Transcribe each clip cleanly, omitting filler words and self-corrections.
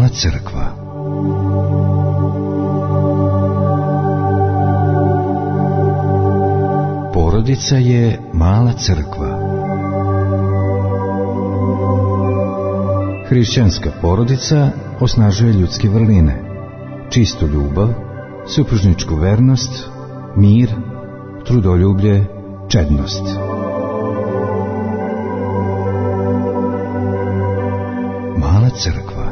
Mala crkva. Porodica je mala crkva. Hrišćanska porodica osnažuje ljudske vrline, čistu ljubav, supružničku vernost, mir, trudoljublje, čednost. Mala crkva.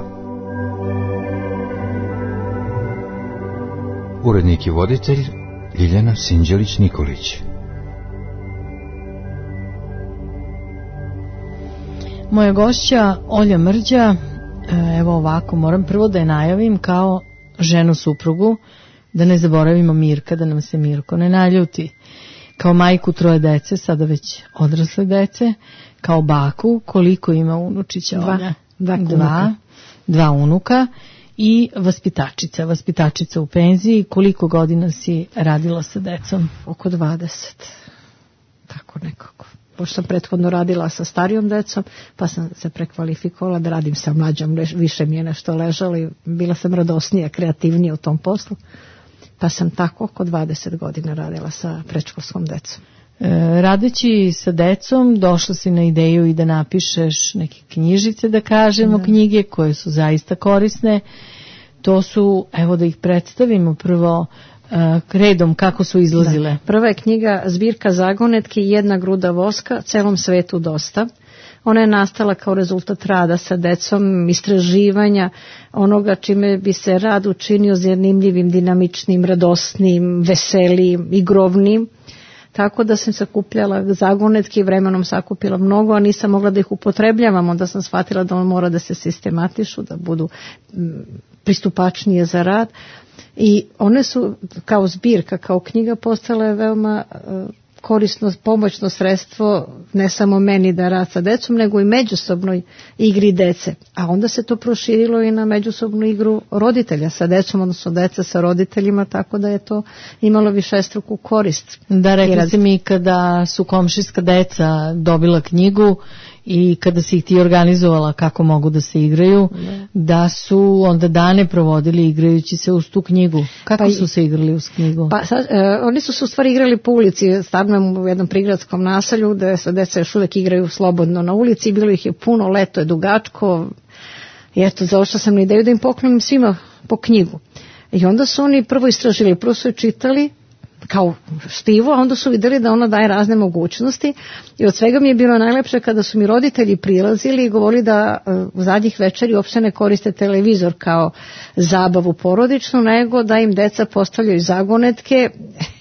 Urednik i voditelj Ljiljana Sinđelić-Nikolić. Moja gošća Olja Mrđa, evo ovako, moram prvo da je najavim kao ženu suprugu, da ne zaboravimo Mirka, da nam se Mirko ne naljuti, kao majku 3 dece, sada već odrasle dece, kao baku, koliko ima unučića Olja? 2 unuka i vaspitačica u penziji. Koliko godina si radila sa decom? Oko 20, tako nekako. Pošto sam prethodno radila sa starijom decom, pa sam se prekvalifikovala da radim sa mlađom, više mi je nešto ležalo i bila sam radosnija, kreativnija u tom poslu, pa sam tako oko 20 godina radila sa predškolskom decom. Radeći sa decom došla si na ideju i da napišeš neke knjižice, da kažemo, knjige koje su zaista korisne. To su, evo da ih predstavimo prvo redom kako su izlazile. Da. Prva je knjiga Zbirka zagonetki, 1 gruda voska, celom svetu dosta. Ona je nastala kao rezultat rada sa decom, istraživanja onoga čime bi se rad učinio zanimljivim, dinamičnim, radosnim, veselim, igrovnim. Tako da sam sakupljala zagonetke i vremenom sakupila mnogo, a nisam mogla da ih upotrebljavam. Onda sam shvatila da on mora da se sistematišu, da budu pristupačnije za rad. I one su kao zbirka, kao knjiga postale veoma korisno, pomoćno sredstvo ne samo meni da rad sa decom, nego i međusobnoj igri dece. A onda se to proširilo i na međusobnu igru roditelja sa decom, odnosno deca sa roditeljima, tako da je to imalo višestruku korist. Da, rekli si mi kada su komšijska deca dobila knjigu i kada si ih ti organizovala kako mogu da se igraju, da su onda dane provodili igrajući se uz tu knjigu. Kako su se igrali uz knjigu? Oni su se u stvari igrali po ulici. Stanujem u jednom prigradskom naselju gde se deca još uvek igraju slobodno na ulici. Bilo ih je puno, leto je dugačko. I eto, zaošla sam na ideju da im poklonim svima po knjigu. I onda su oni prvo istražili, prvo su je čitali kao štivo, a onda su vidjeli da ona daje razne mogućnosti i od svega mi je bilo najlepše kada su mi roditelji prilazili i govorili da u zadnjih večeri uopšte ne koriste televizor kao zabavu porodičnu, nego da im deca postavljaju zagonetke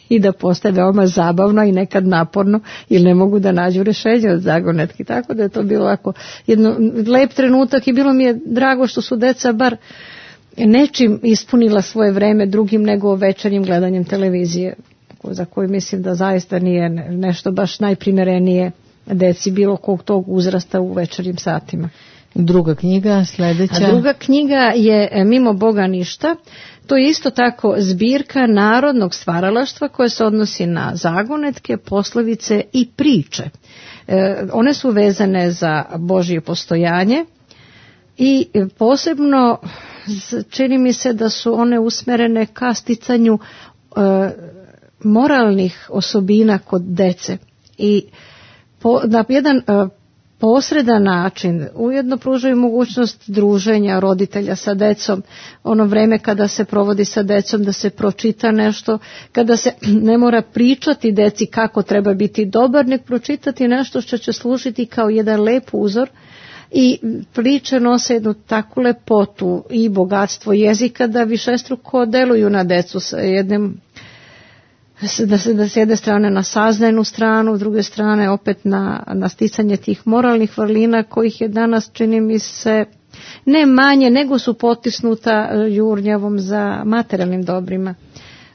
i da postaje veoma zabavno i nekad naporno ili ne mogu da nađu rešenje od zagonetki. Tako da je to bilo ovako jedan lep trenutak i bilo mi je drago što su deca bar nečim ispunila svoje vreme drugim nego večernjim gledanjem televizije, za koju mislim da zaista nije nešto baš najprimerenije deci bilo kog tog uzrasta u večernjim satima. Druga knjiga, sljedeća. A druga knjiga je Mimo Boga ništa. To je isto tako zbirka narodnog stvaralaštva koje se odnosi na zagonetke, poslovice i priče. One su vezane za Božje postojanje i posebno čini mi se da su one usmerene ka sticanju moralnih osobina kod dece i na jedan posredan način ujedno pružaju mogućnost druženja roditelja sa decom, ono vreme kada se provodi sa decom, da se pročita nešto, kada se ne mora pričati deci kako treba biti dobar, nek pročitati nešto što će služiti kao jedan lep uzor. I priče nose jednu takvu lepotu i bogatstvo jezika da višestruko deluju na decu sa jednim, da s jedne strane na saznajnu stranu, s druge strane opet na sticanje tih moralnih vrlina kojih je danas, čini mi se, ne manje nego su potisnuta jurnjavom za materijalnim dobrima,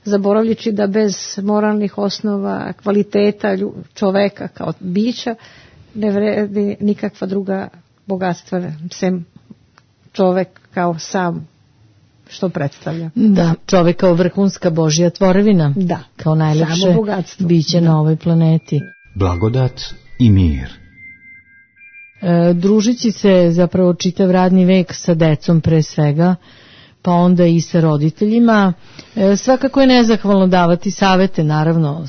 zaboravljajući da bez moralnih osnova, kvaliteta čoveka kao bića ne vredi nikakva druga bogatstva, sem čovek kao sam što predstavlja. Da, čovek kao vrhunska Božja tvorevina. Da, kao najlepše biće na ovoj planeti. Blagodat i mir. družići se zapravo čitav radni vek sa decom pre svega, pa onda i sa roditeljima. Svakako je nezahvalno davati savete, naravno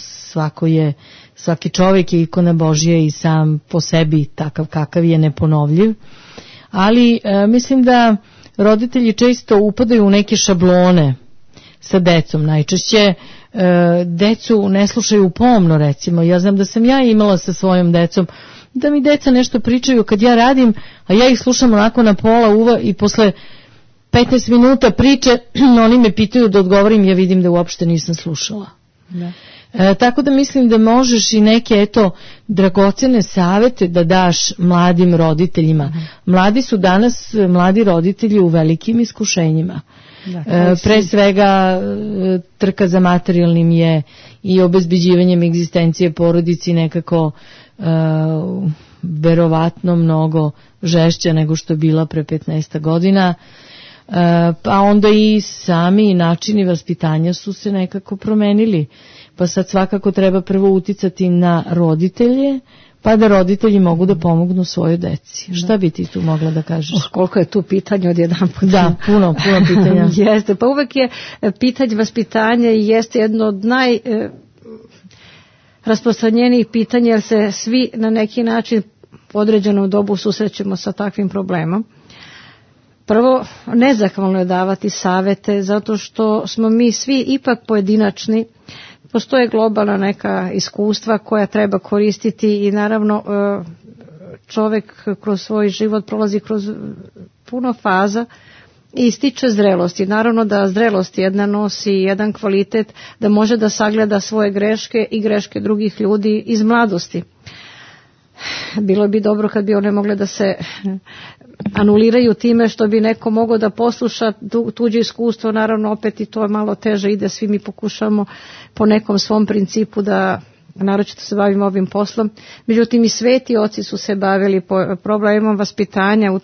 svaki čovjek je ikona Božja i sam po sebi takav kakav je neponovljiv, ali mislim da roditelji često upadaju u neke šablone sa decom. Najčešće decu ne slušaju pomno, recimo. Ja znam da sam ja imala sa svojom decom da mi deca nešto pričaju kad ja radim, a ja ih slušam onako na pola uva i posle 15 minuta priče oni me pitaju da odgovorim, ja vidim da uopšte nisam slušala. Da. Tako da mislim da možeš i neke dragocene savete da daš mladim roditeljima. Mladi su danas, mladi roditelji u velikim iskušenjima. Pre svega trka za materijalnim je i obezbeđivanjem egzistencije porodici nekako verovatno mnogo žešća nego što je bila pre 15 godina. Pa onda i sami načini vaspitanja su se nekako promenili. Pa sad svakako treba prvo uticati na roditelje, pa da roditelji mogu da pomognu svojoj deci. Šta bi ti tu mogla da kažeš? Koliko je tu pitanje odjedanput. Da, puno pitanja. Jeste, pa uvek je pitanje vaspitanja i jeste jedno od najrasprostranjenijih pitanja, jer se svi na neki način u određenom dobu susrećemo sa takvim problemom. Prvo, nezahvalno je davati savete, zato što smo mi svi ipak pojedinačni. Postoje globalna neka iskustva koja treba koristiti i naravno čovjek kroz svoj život prolazi kroz puno faza i stiče zrelosti. Naravno da zrelost jedna nosi jedan kvalitet da može da sagleda svoje greške i greške drugih ljudi iz mladosti. Bilo bi dobro kad bi one mogle da se anuliraju time što bi neko mogao da posluša tuđe iskustvo, naravno opet i to malo teže ide, svi mi pokušamo po nekom svom principu da naročito se bavimo ovim poslom. Međutim i sveti oci su se bavili problemom vaspitanja,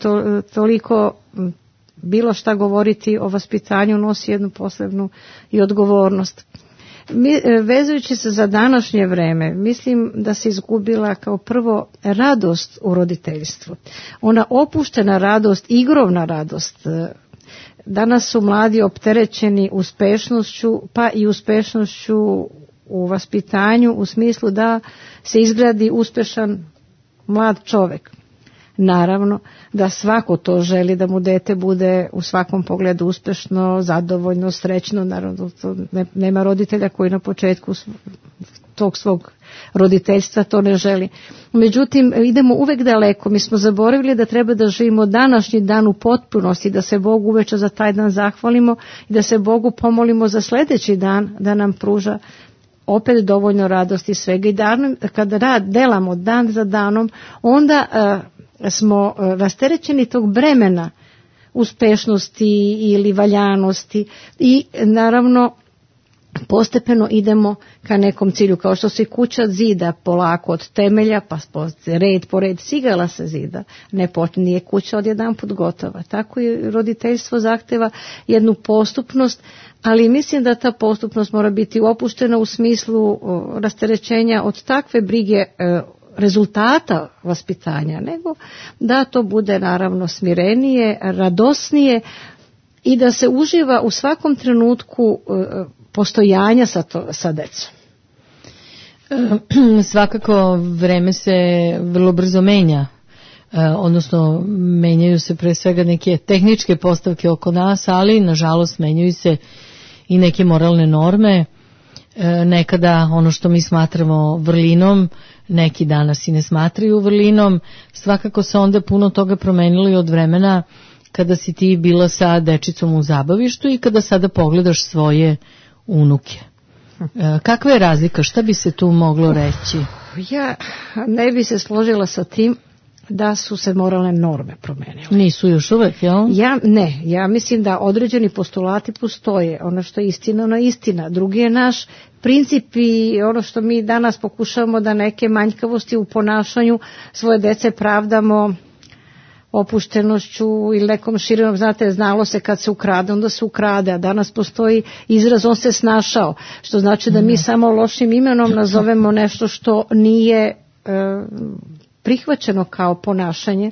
toliko bilo šta govoriti o vaspitanju nosi jednu posebnu i odgovornost. Vezujući se za današnje vreme, mislim da se izgubila kao prvo radost u roditeljstvu. Ona opuštena radost, igrovna radost. Danas su mladi opterećeni uspešnošću, pa i uspešnošću u vaspitanju u smislu da se izgradi uspešan mlad čovjek. Naravno da svako to želi da mu dete bude u svakom pogledu uspešno, zadovoljno, srećno. Naravno to nema roditelja koji na početku tog svog roditeljstva to ne želi. Međutim, idemo uvek daleko. Mi smo zaboravili da treba da živimo današnji dan u potpunosti, da se Bogu uveče za taj dan zahvalimo i da se Bogu pomolimo za sljedeći dan da nam pruža opet dovoljno radosti svega. I kada delamo dan za danom, onda smo rasterećeni tog bremena uspešnosti ili valjanosti i naravno postepeno idemo ka nekom cilju, kao što se kuća zida polako od temelja, pa red po red cigala se zida, nije kuća odjedanput gotova. Tako i roditeljstvo zahteva jednu postupnost, ali mislim da ta postupnost mora biti opuštena u smislu rasterećenja od takve brige rezultata vaspitanja, nego da to bude naravno smirenije, radosnije i da se uživa u svakom trenutku postojanja sa decom. Svakako vreme se vrlo brzo menja, odnosno menjaju se pre svega neke tehničke postavke oko nas, ali nažalost menjaju se i neke moralne norme. Nekada ono što mi smatramo vrlinom, neki danas i ne smatraju vrlinom. Svakako se onda puno toga promenilo od vremena kada si ti bila sa dečicom u zabavištu i kada sada pogledaš svoje unuke. Kakva je razlika? Šta bi se tu moglo reći? Ja ne bi se složila sa tim da su se moralne norme promenile. Nisu još uvek, jel? Ja mislim da određeni postulati postoje. Ono što je istina, ono je istina. Drugi je naš princip i ono što mi danas pokušavamo da neke manjkavosti u ponašanju svoje dece pravdamo opuštenošću ili nekom širinom, znate, znalo se kad se ukrade, onda se ukrade, a danas postoji izraz on se snašao, što znači da mi samo lošim imenom nazovemo nešto što nije prihvaćeno kao ponašanje.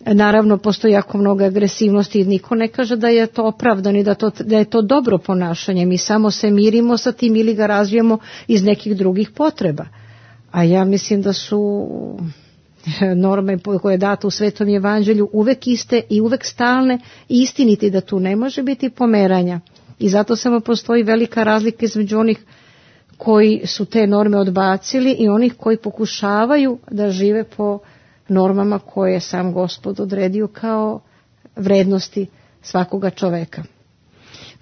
Naravno, postoji jako mnogo agresivnosti i niko ne kaže da je to opravdano i da je to dobro ponašanje. Mi samo se mirimo sa tim ili ga razvijemo iz nekih drugih potreba. A ja mislim da su norme koje je dato u Svetom evanđelju uvek iste i uvek stalne i istiniti, da tu ne može biti pomeranja. I zato samo postoji velika razlika između onih koji su te norme odbacili i onih koji pokušavaju da žive po normama koje je sam Gospod odredio kao vrednosti svakoga čoveka.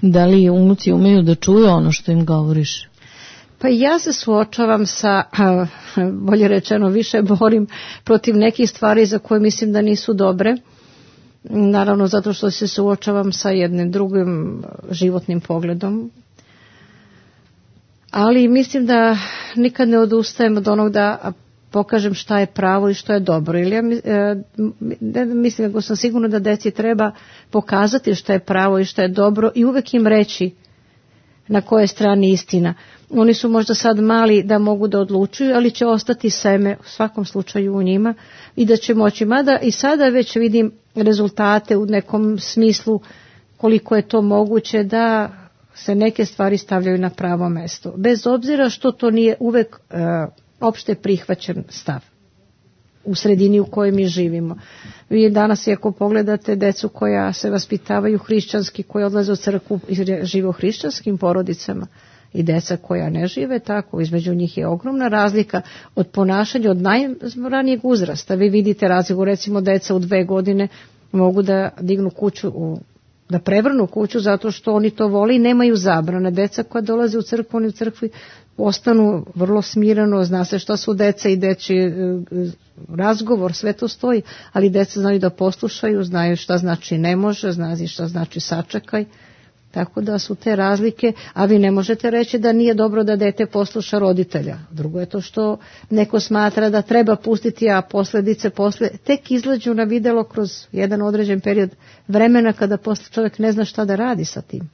Da li unuci umeju da čuju ono što im govoriš? Pa ja se suočavam sa, bolje rečeno, više borim protiv nekih stvari za koje mislim da nisu dobre. Naravno zato što se suočavam sa jednim drugim životnim pogledom. Ali mislim da nikad ne odustajem od onog da pokažem šta je pravo i što je dobro. Ili ja mislim, nego sam sigurna da deci treba pokazati šta je pravo i šta je dobro i uvek im reći na kojoj strani istina. Oni su možda sad mali da mogu da odlučuju, ali će ostati seme u svakom slučaju u njima i da će moći. Mada i sada već vidim rezultate u nekom smislu koliko je to moguće da se neke stvari stavljaju na pravo mesto. Bez obzira što to nije uvek opšte prihvaćen stav u sredini u kojoj mi živimo. Vi danas, ako pogledate decu koja se vaspitavaju hrišćanski, koja odlaze u crkvu i žive u hrišćanskim porodicama, i deca koja ne žive tako, između njih je ogromna razlika od ponašanja od najranijeg uzrasta. Vi vidite razliku, recimo deca u 2 godine mogu da dignu kuću, da prevrnu kuću zato što oni to vole i nemaju zabrane. Deca koja dolaze u crkvu, oni u crkvi ostanu vrlo smireno, zna se šta su deca i dečji razgovor, sve to stoji, ali deca znaju da poslušaju, znaju šta znači ne može, znaju šta znači sačekaj. Tako da su te razlike, a vi ne možete reći da nije dobro da dete posluša roditelja. Drugo je to što neko smatra da treba pustiti, a posljedice tek izlađu na videlo kroz jedan određen period vremena kada posle čovjek ne zna šta da radi sa tim.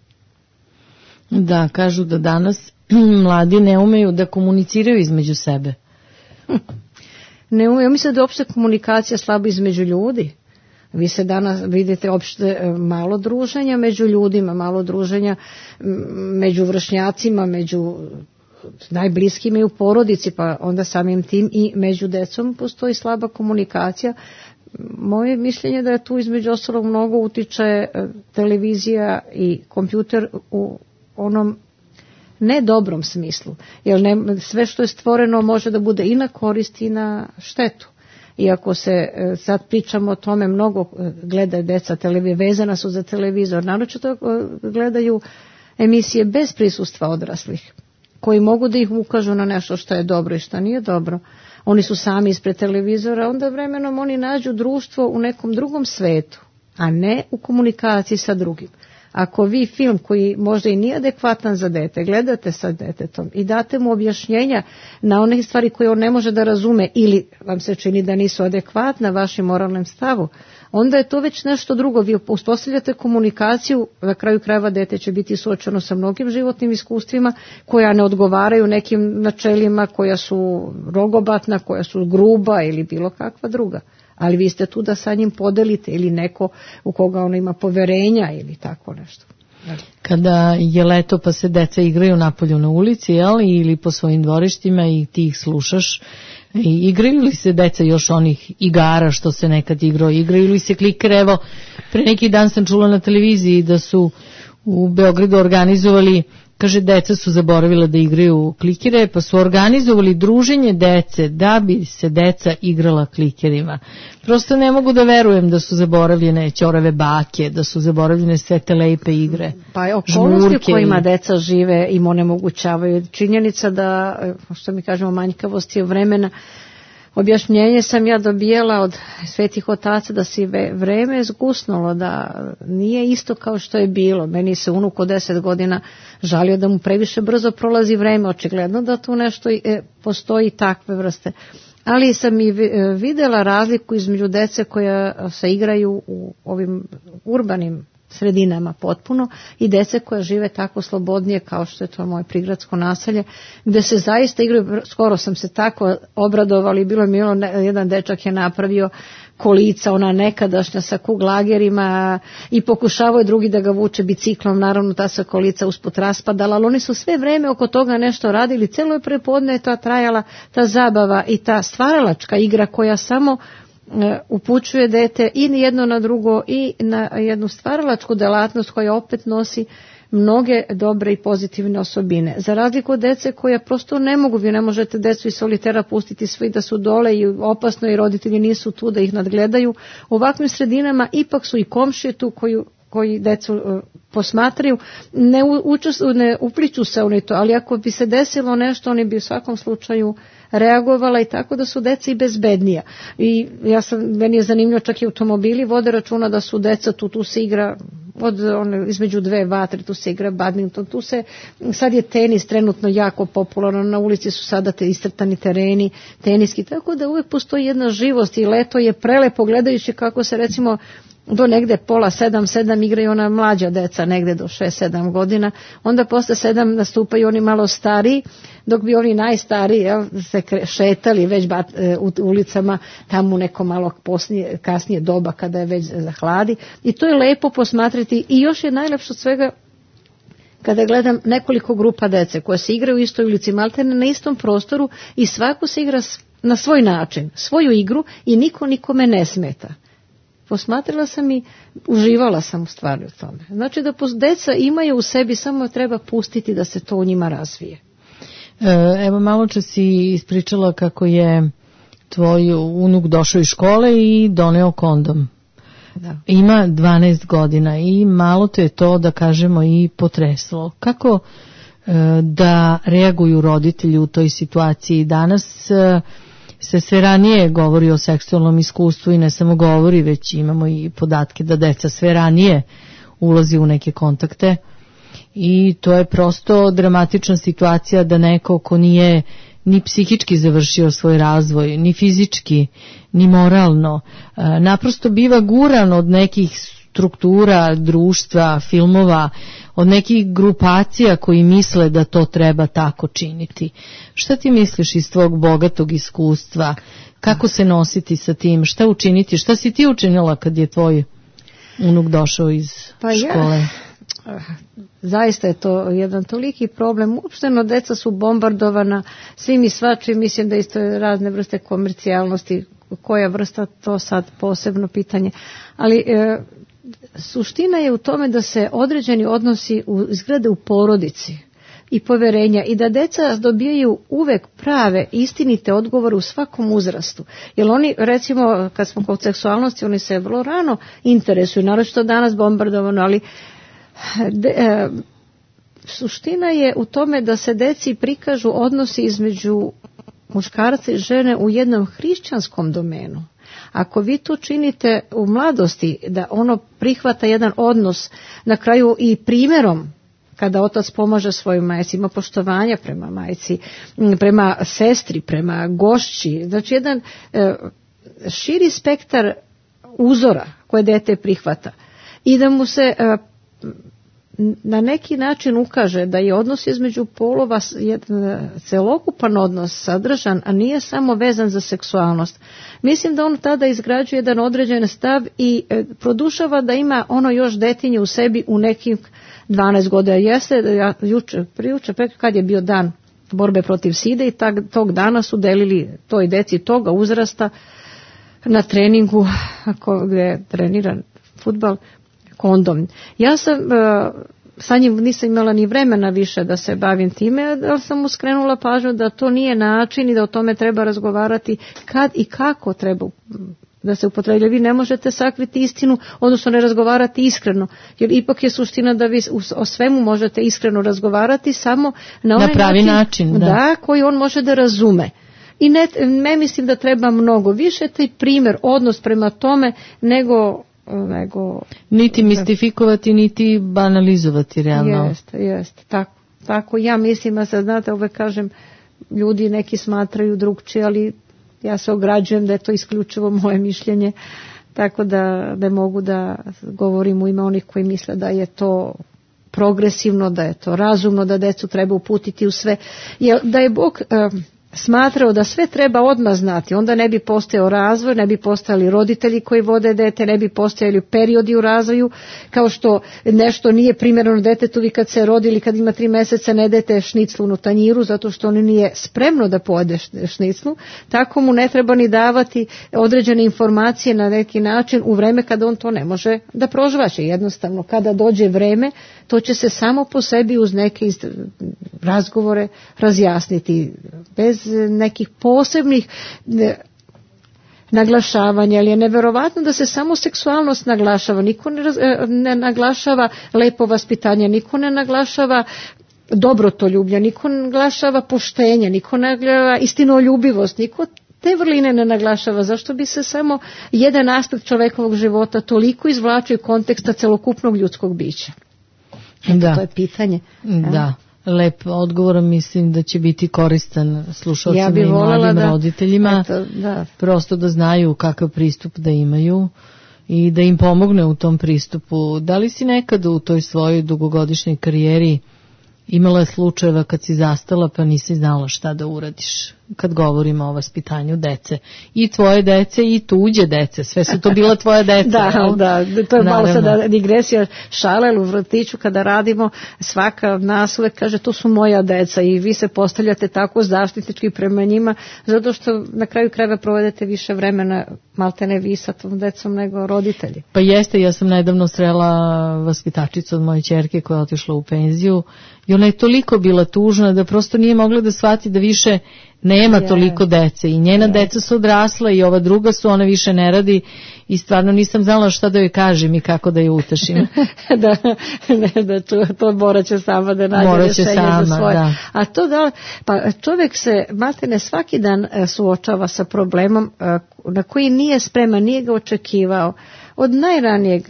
Da, kažu da danas mladi ne umeju da komuniciraju između sebe. Ne umeju, mislim da je opšte komunikacija slaba između ljudi. Vi se danas vidite opšte malo druženja među ljudima, malo druženja među vršnjacima, među najbliskima i u porodici, pa onda samim tim i među decom postoji slaba komunikacija. Moje mišljenje da je tu između ostalog mnogo utiče televizija i kompjuter u onom nedobrom smislu, jer sve što je stvoreno može da bude i na korist i na štetu. Iako se sad pričamo o tome, mnogo gledaju deca vezana su za televizor, naročito gledaju emisije bez prisustva odraslih, koji mogu da ih ukažu na nešto što je dobro i što nije dobro. Oni su sami ispred televizora, onda vremenom oni nađu društvo u nekom drugom svetu, a ne u komunikaciji sa drugim. Ako vi film koji možda i nije adekvatan za dete, gledate sa detetom i date mu objašnjenja na one stvari koje on ne može da razume ili vam se čini da nisu adekvatna vašim moralnom stavu, onda je to već nešto drugo. Vi uspostavljate komunikaciju, na kraju krajeva dete će biti suočeno sa mnogim životnim iskustvima koja ne odgovaraju nekim načelima, koja su rogobatna, koja su gruba ili bilo kakva druga. Ali vi ste tu da sa njim podelite ili neko u koga ono ima poverenja ili tako nešto. Kada je leto pa se deca igraju napolju na ulici, ili po svojim dvorištima i ti ih slušaš, igraju li se deca još onih igara što se nekad igrao, igraju li se klikere? Evo, pre neki dan sam čula na televiziji da su u Beogradu organizovali, kaže, deca su zaboravila da igraju klikere, pa su organizovali druženje dece da bi se deca igrala klikerima. Prosto ne mogu da verujem da su zaboravljene ćorave bake, da su zaboravljene sve te lepe igre. Pa je okolnosti u kojima deca žive im onemogućavaju. Činjenica da, što mi kažemo, manjkavosti vremena. Objašnjenje sam ja dobijala od svetih otaca da si vreme zgusnulo, da nije isto kao što je bilo. Meni se unuk od 10 godina žalio da mu previše brzo prolazi vreme, očigledno da tu nešto postoji takve vrste. Ali sam i vidjela razliku između dece koja se igraju u ovim urbanim sredinama potpuno i dece koja žive tako slobodnije kao što je to moje prigradsko naselje, gde se zaista igraju, skoro sam se tako obradovali, bilo je milo, jedan dečak je napravio kolica, ona nekadašnja sa kuglagerima i pokušavao je drugi da ga vuče biciklom, naravno ta se kolica usput raspadala, ali oni su sve vreme oko toga nešto radili, celo je prepodne je to trajala ta zabava i ta stvaralačka igra koja samo upućuje dete i jedno na drugo i na jednu stvaralačku delatnost koja opet nosi mnoge dobre i pozitivne osobine. Za razliku od dece koja prosto ne mogu, vi ne možete decu iz solitera pustiti svi da su dole i opasno i roditelji nisu tu da ih nadgledaju. U ovakvim sredinama ipak su i komšije tu koji decu posmatraju, ne upliču se oni to, ali ako bi se desilo nešto, oni bi u svakom slučaju reagovala i tako da su deca i bezbednija. I meni je zanimljivo, čak i automobili vode računa da su deca tu se igra između dve vatre, tu se igra badminton, sad je tenis trenutno jako popularan, na ulici su sada te iscrtani tereni, teniski, tako da uvek postoji jedna živost i leto je prelepo gledajući kako se recimo do negde pola 7 igraju ona mlađa deca, negde do 6-7 godina, onda posle 7 nastupaju oni malo stariji, dok bi oni najstariji se šetali već u ulicama tamo u neko malo kasnije doba kada je već zahladi i to je lepo posmatrati i još je najlepše od svega kada gledam nekoliko grupa dece koje se igraju u istoj ulici, maltene na istom prostoru i svako se igra na svoj način, svoju igru i niko nikome ne smeta. Posmatrala sam i uživala sam u stvari u tome. Znači da deca imaju u sebi, samo treba pustiti da se to u njima razvije. Evo malo čas si ispričala kako je tvoj unuk došao iz škole i doneo kondom. Da. Ima 12 godina i malo te je to, da kažemo, i potreslo. Kako da reaguju roditelji u toj situaciji? Danas se sve ranije govori o seksualnom iskustvu i ne samo govori, već imamo i podatke da deca sve ranije ulazi u neke kontakte i to je prosto dramatična situacija da neko ko nije ni psihički završio svoj razvoj, ni fizički, ni moralno, naprosto biva guran od nekih struktura, društva, filmova, od nekih grupacija koji misle da to treba tako činiti. Šta ti misliš iz tvog bogatog iskustva? Kako se nositi sa tim? Šta učiniti? Šta si ti učinila kad je tvoj unuk došao iz škole? Zaista je to jedan toliki problem. Uopšteno deca su bombardovana svim i svačim. Mislim da isto je razne vrste komercijalnosti. Koja vrsta, to sad posebno pitanje. Ali suština je u tome da se određeni odnosi izgrade u porodici i poverenja i da deca dobijaju uvek prave, istinite odgovore u svakom uzrastu. Jer oni, recimo, kad smo kod seksualnosti, oni se vrlo rano interesuju, naročito danas bombardovano, ali suština je u tome da se deci prikažu odnosi između muškarca i žene u jednom hrišćanskom domenu. Ako vi to činite u mladosti, da ono prihvata jedan odnos na kraju i primjerom, kada otac pomaže svojoj majci, ima poštovanja prema majci, prema sestri, prema gošći, znači jedan širi spektar uzora koje dete prihvata i da mu se na neki način ukaže da je odnos između polova jedan celokupan odnos sadržan, a nije samo vezan za seksualnost. Mislim da on tada izgrađuje jedan određen stav i produšava da ima ono još detinje u sebi u nekih 12 godina. Jeste, prijuče, kad je bio dan borbe protiv side i tog dana su delili toj deci toga uzrasta na treningu, gdje je treniran fudbal, kondom. Ja sam sa njim nisam imala ni vremena više da se bavim time, ali sam mu skrenula pažnju da to nije način i da o tome treba razgovarati kad i kako treba da se upotreblja. Vi ne možete sakriti istinu, odnosno ne razgovarati iskreno, jer ipak je suština da vi o svemu možete iskreno razgovarati samo na onaj pravi način da, koji on može da razume. I ne mislim da treba mnogo više taj primjer, odnos prema tome nego niti mistifikovati, niti banalizovati realno. Jeste, tako ja mislim, a sad znate, uvek kažem, ljudi neki smatraju drugčije, ali ja se ograđujem da je to isključivo moje mišljenje, tako da ne mogu da govorim u ime onih koji misle da je to progresivno, da je to razumno, da decu treba uputiti u sve. Jer da je Bog smatrao da sve treba odmah znati, onda ne bi postojao razvoj, ne bi postojali roditelji koji vode dete, ne bi postojali periodi u razvoju, kao što nešto nije primjereno detetu, vi kad se rodi ili kad ima 3 mjeseca ne dajete šniclu u tanjiru zato što on nije spremno da pojede šniclu, tako mu ne treba ni davati određene informacije na neki način u vreme kada on to ne može da prožvaće. Jednostavno, kada dođe vreme, to će se samo po sebi uz neke razgovore razjasniti, bez nekih posebnih naglašavanja, ali je neverovatno da se samo seksualnost naglašava, niko ne naglašava lepo vaspitanje, niko ne naglašava dobrotoljublje, niko ne naglašava poštenje, niko ne naglašava istinoljubivost, niko te vrline ne naglašava. Zašto bi se samo jedan aspekt čovekovog života toliko izvlačio iz konteksta celokupnog ljudskog bića? Da. To je pitanje. Da. Lep odgovor, mislim da će biti koristan slušalcima i mladim roditeljima, prosto da znaju kakav pristup da imaju i da im pomogne u tom pristupu. Da li si nekad u toj svojoj dugogodišnjoj karijeri imala slučajeva kad si zastala pa nisi znala šta da uradiš, kad govorimo o vaspitanju dece? I tvoje dece i tuđe dece, sve su to bila tvoja deca. Da, to je malo sada digresija, šale u vrtiću kada radimo, svaka od nas uvek kaže to su moja deca i vi se postavljate tako zaštitnički prema njima, zato što na kraju krajeva provedete više vremena maltene vi sa tom decom nego roditelji. Pa jeste, ja sam nedavno srela vaspitačicu od moje ćerke koja je otišla u penziju i ona je toliko bila tužna da prosto nije mogla da shvati da više nema toliko dece i njena deca su odrasla i ova druga su, ona više ne radi i stvarno nisam znala šta da joj kažem i kako da je utešim. To morat će sama da nađe rješenje za svoje. Da. A to pa čovjek se maltene svaki dan suočava sa problemom na koji nije spreman, nije ga očekivao od najranijeg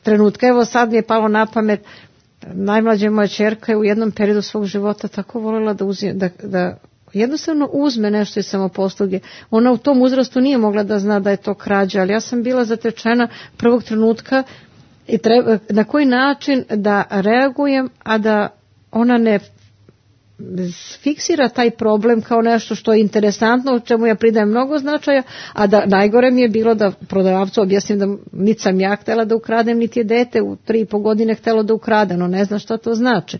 trenutka. Evo sad mi je palo na pamet, najmlađa moja ćerka je u jednom periodu svog života tako voljela da jednostavno uzme nešto iz samoposluge. Ona u tom uzrastu nije mogla da zna da je to krađa, ali ja sam bila zatečena prvog trenutka i na koji način da reagujem, a da ona ne fiksira taj problem kao nešto što je interesantno, u čemu ja pridajem mnogo značaja, a da najgore mi je bilo da prodavcu objasnim da niti sam ja htjela da ukradem, niti je dete u 3,5 godine htjelo da ukrade, no ne zna šta to znači.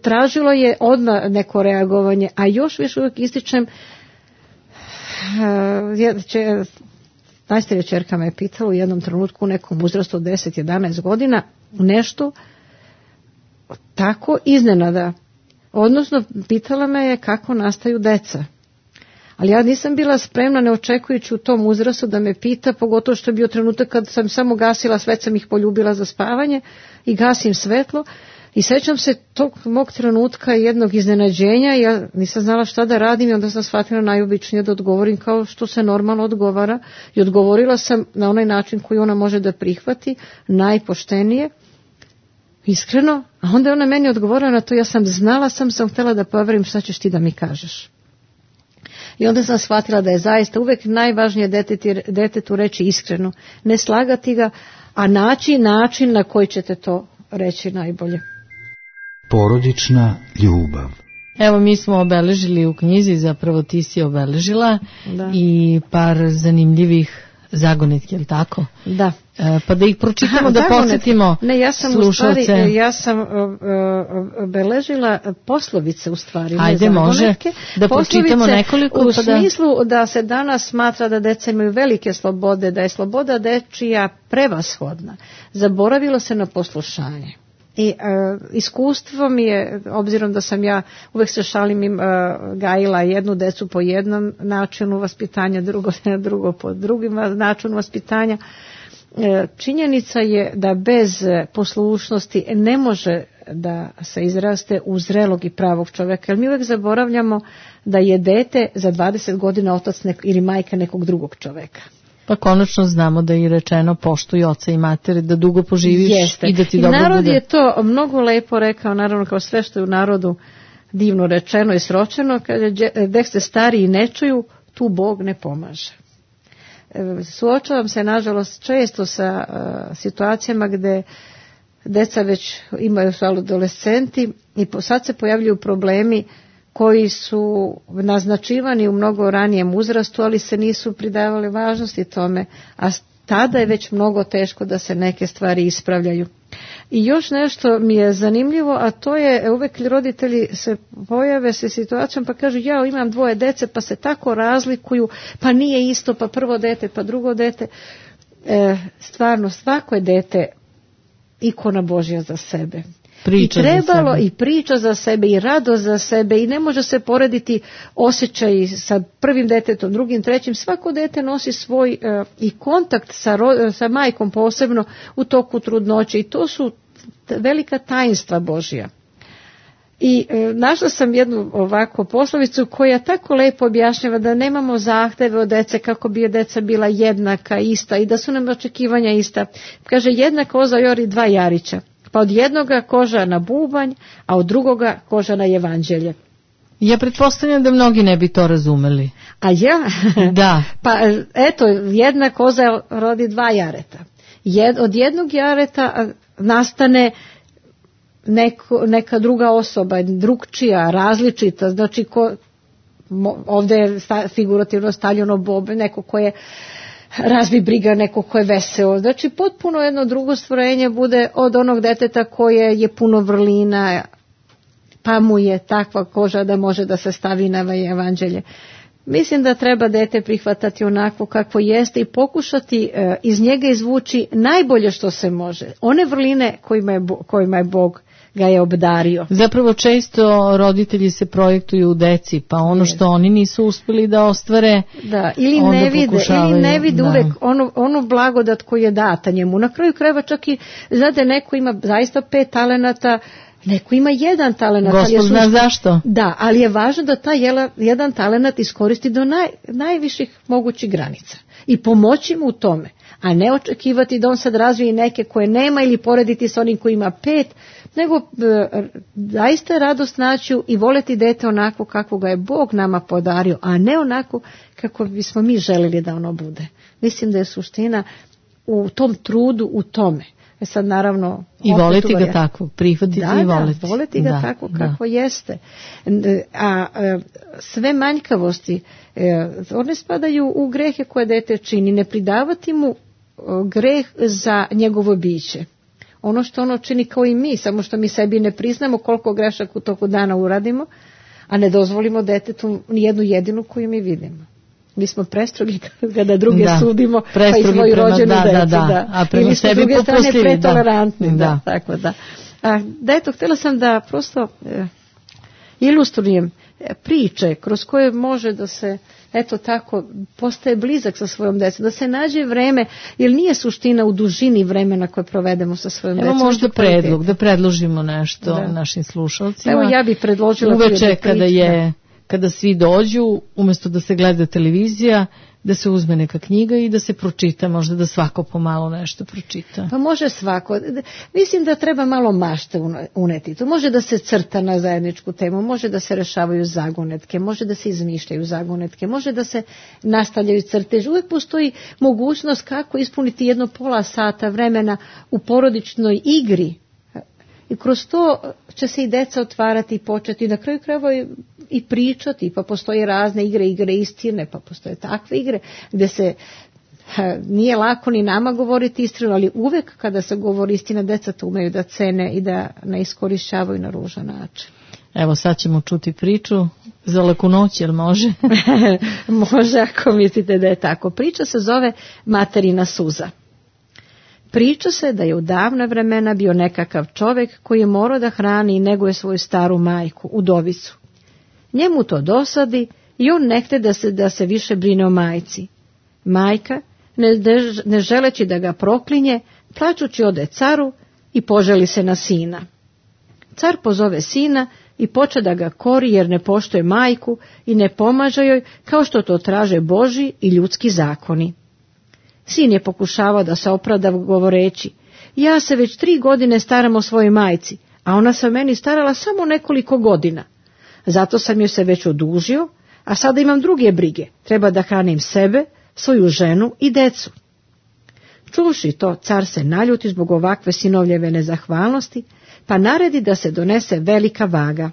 Tražilo je odmah neko reagovanje, a još više uvijek ističem, najstarija ćerka me je pitala u jednom trenutku u nekom uzrastu od 10-11 godina nešto tako iznenada. Odnosno, pitala me je kako nastaju deca. Ali ja nisam bila spremna, ne očekujući u tom uzrastu da me pita, pogotovo što je bio trenutak kad sam samo gasila, sve sam ih poljubila za spavanje i gasim svetlo. I sećam se tog mog trenutka jednog iznenađenja, ja nisam znala šta da radim i onda sam shvatila najobičnije da odgovorim kao što se normalno odgovara i odgovorila sam na onaj način koji ona može da prihvati, najpoštenije, iskreno, a onda je ona meni odgovorila na to, ja sam znala, sam htjela da provjerim šta ćeš ti da mi kažeš. I onda sam shvatila da je zaista uvek najvažnije detetu reći iskreno, ne slagati ga, a naći način na koji ćete to reći najbolje. Porodična ljubav. Evo, mi smo obeležili u knjizi, zapravo ti si obeležila i par zanimljivih zagonetki, je li tako? Da. Pa da ih pročitamo, da posjetimo slušalce. Ja sam obeležila poslovice u stvari. Ajde, može da pročitamo nekoliko. U smislu da se danas smatra da deca imaju velike slobode, da je sloboda dečija prevashodna. Zaboravilo se na poslušanje. I iskustvo mi je, obzirom da sam ja uvek se šalim gajila jednu decu po jednom načinu vaspitanja, drugo po drugim načinu vaspitanja, činjenica je da bez poslušnosti ne može da se izraste u zrelog i pravog čoveka. Jer mi uvek zaboravljamo da je dete za 20 godina otac ili majka nekog drugog čoveka. Pa konačno znamo da je rečeno poštuj oca i matere, da dugo poživiš. Jeste. I da ti dobro bude. Narod je to mnogo lepo rekao, naravno kao sve što je u narodu divno rečeno i sročeno, kaže dek ste stari i ne čuju, tu Bog ne pomaže. suočavam se nažalost često sa situacijama gde deca već imaju su adolescenti i sad se pojavljuju problemi koji su naznačivani u mnogo ranijem uzrastu, ali se nisu pridavali važnosti tome, a tada je već mnogo teško da se neke stvari ispravljaju. I još nešto mi je zanimljivo, a to je uvek roditelji se pojave se situacijom pa kažu ja imam 2 dece pa se tako razlikuju, pa nije isto, pa prvo dete pa drugo dete. Stvarno svako je dete ikona Božja za sebe. Priča I trebalo za sebe. I priča za sebe i radost za sebe i ne može se porediti osjećaj sa prvim detetom, drugim, trećim. Svako dete nosi svoj i kontakt sa majkom posebno u toku trudnoće i to su velika tajnstva Božja. I našla sam jednu ovako poslovicu koja tako lepo objašnjava da nemamo zahteve od dece kako bi deca bila jednaka, ista i da su nam očekivanja ista. Kaže jedna koza jori 2 jarića. Pa od jednoga koža na bubanj, a od drugoga koža na evanđelje. Ja pretpostavljam da mnogi ne bi to razumeli. A ja? Da. Pa eto, jedna koza rodi 2 jareta. Od jednog jareta nastane neka druga osoba, drugčija, različita, znači ovdje je figurativno stavljeno bobe, neko ko je razbi briga, neko ko je veseo. Znači potpuno jedno drugo stvorenje bude od onog deteta koje je puno vrlina, pa mu je takva koža da može da se stavi na evanđelje. Mislim da treba dete prihvatati onako kako jeste i pokušati iz njega izvući najbolje što se može. One vrline kojima je Bog ga je obdario. Zapravo često roditelji se projektuju u deci, pa ono što oni nisu uspjeli da ostvare, ili ne vide uvek onu blagodat koju je data njemu. Na kraju krajeva čak i znate, neko ima zaista 5 talenata, neko ima 1 talenat. Gospod zna zašto. Da, ali je važno da taj 1 talenat iskoristi do najviših mogućih granica i pomoći mu u tome, a ne očekivati da on sad razvije neke koje nema ili porediti s onim koji ima 5, nego zaista je radost naći i voleti dete onako kako ga je Bog nama podario, a ne onako kako bismo mi želili da ono bude. Mislim da je suština u tom trudu, u tome. Sad naravno i voleti ga tako, prihvatiti i voleti. Da, voleti ga tako kako jeste. A sve manjkavosti, one spadaju u grehe koje dete čini, ne pridavati mu greh za njegovo biće. Ono što ono čini kao i mi, samo što mi sebi ne priznamo koliko grešaka u toku dana uradimo, a ne dozvolimo detetu nijednu jedinu koju mi vidimo. Mi smo prestrogi kada druge sudimo, pa i svoju rođenu decu. A prema ili sebi s druge strane popustljivi, pretolerantni. Tako da. Eto, htjela sam da prosto ilustrujem priče kroz koje može da se eto tako postaje blizak sa svojom decom, da se nađe vreme, jer nije suština u dužini vremena koje provedemo sa svojom decom. Evo možda predlog, da predložimo nešto našim slušalcima. Evo ja bih predložila uveče kada svi dođu, umjesto da se gleda televizija, da se uzme neka knjiga i da se pročita, možda da svako pomalo nešto pročita. Pa može svako. Mislim da treba malo mašte uneti. To može da se crta na zajedničku temu, može da se rešavaju zagonetke, može da se izmišljaju zagonetke, može da se nastavljaju crtež. Uvijek postoji mogućnost kako ispuniti 1,5 sata vremena u porodičnoj igri. I kroz to će se i deca otvarati i početi na kraju krajeva i pričati, pa postoje razne igre istine, pa postoje takve igre gdje se nije lako ni nama govoriti istinu, ali uvek kada se govori istina, deca to umeju da cene i da ne iskorišćavaju na ružan način. Evo sad ćemo čuti priču za laku noć, jel može? Može ako mislite da je tako. Priča se zove Materina suza. Priča se da je u davna vremena bio nekakav čovjek koji je morao da hrani i neguje svoju staru majku, udovicu. Njemu to dosadi i on ne htje da se više brine o majci. Majka, ne želeći da ga proklinje, plačući ode caru i poželi se na sina. Car pozove sina i poče da ga kori jer ne poštuje majku i ne pomaže joj kao što to traže Božji i ljudski zakoni. Sin je pokušavao da se opravda govoreći, ja se već 3 godine staram o svojoj majci, a ona se o meni starala samo nekoliko godina. Zato sam joj se već odužio, a sada imam druge brige. Treba da hranim sebe, svoju ženu i decu. Čuvši to, car se naljuti zbog ovakve sinovljeve nezahvalnosti, pa naredi da se donese velika vaga.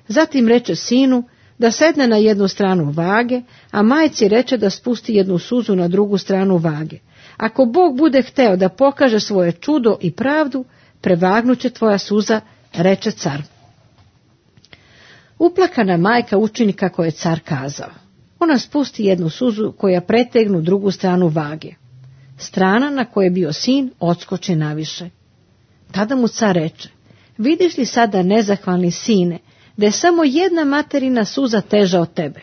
Zatim reče sinu da sedne na jednu stranu vage, a majci reče da spusti jednu suzu na drugu stranu vage. Ako Bog bude hteo da pokaže svoje čudo i pravdu, prevagnuće tvoja suza, reče car. Uplakana majka učini kako je car kazao. Ona spusti jednu suzu koja pretegnu drugu stranu vage. Strana na kojoj je bio sin odskoči naviše. Tada mu car reče, vidiš li sada, nezahvalni sine, da je samo jedna materina suza teža od tebe?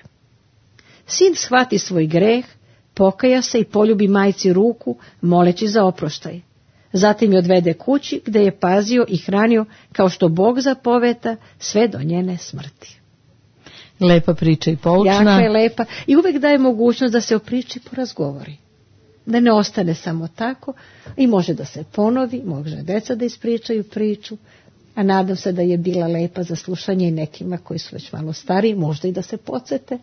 Sin shvati svoj greh, pokaja se i poljubi majci ruku, moleći za oproštaj. Zatim je odvede kući gde je pazio i hranio kao što Bog zapoveta sve do njene smrti. Lepa priča i poučna. Jaka je lepa i uvek daje mogućnost da se o priči porazgovori. Da ne ostane samo tako i može da se ponovi, može deca da ispričaju priču, a nadam se da je bila lepa za slušanje i nekima koji su već malo stariji, možda i da se podsete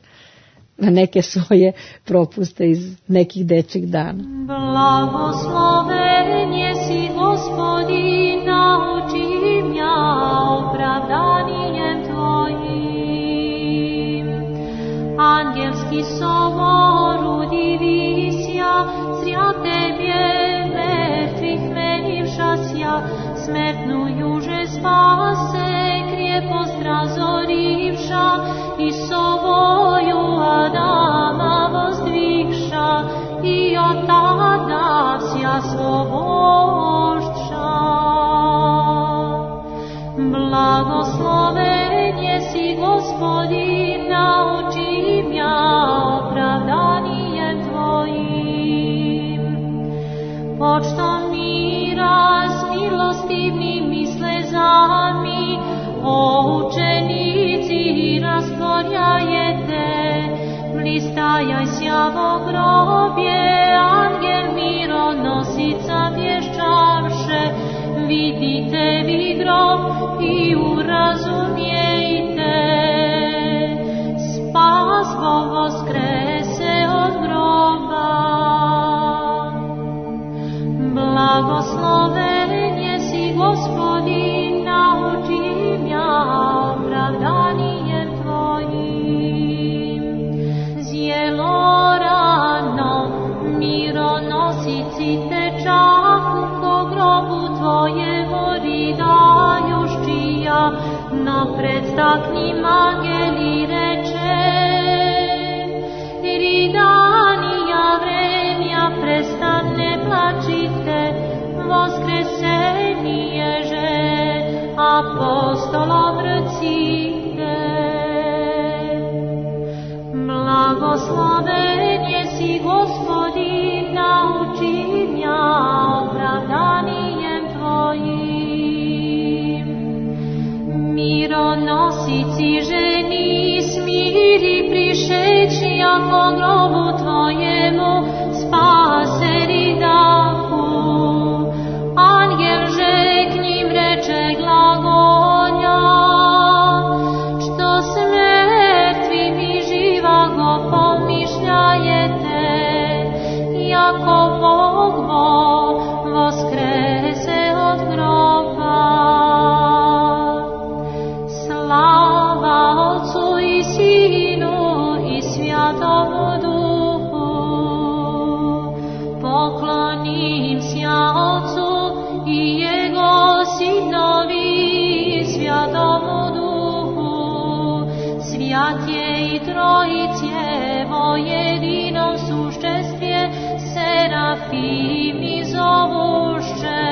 na neke svoje propuste iz nekih dečjih dana. Blagosloven jesi Gospodin, nauči mja opravdanijem Tvojim. Angelski sobor udivisja, zrja Tebje mrtvih menivšasja, smrtnu juže spase, krijepost razorivša, i sovoju Adama vozdvihša, i od tada vsja slobošća. Blagosloven jesi Gospodin, nauči mja opravdanijem Tvojim. Počtom mira s milostivnim i slezami, o učenici rastvorjajete, blistajaj sjavo grobje, angel mironosica vješćavše, vidite vi grob i urazumijete, spas Bog voskrese od groba. Blagosloven jesi Gospodin, nauči mja opravdanijem Tvojim. Zjelo rano mironosici tečahu, ko grobu Tvojemu ridajuščija, napred staknim angeli reče, ridanija vremja prestane plačite, voskresenježe apostolom rcite. Blagosloven jesi Gospodin, nauči mja opravdanijem Tvojim. Mironosici ženi smiri prišeći, ako grobu Tvojemu spaseri dahu. Angel že k njim reče glagolja, što s mrtvim i živago pomišljajete, jako Bog voskrese od groba. Slava Otcu i Sinu i Svjatomu Duhu, poklonim sja Otcu i Jego Sinovi i Svjatomu Duhu, svjat je i Trojicevo jedinom sušćestvje, serafimi zovušće,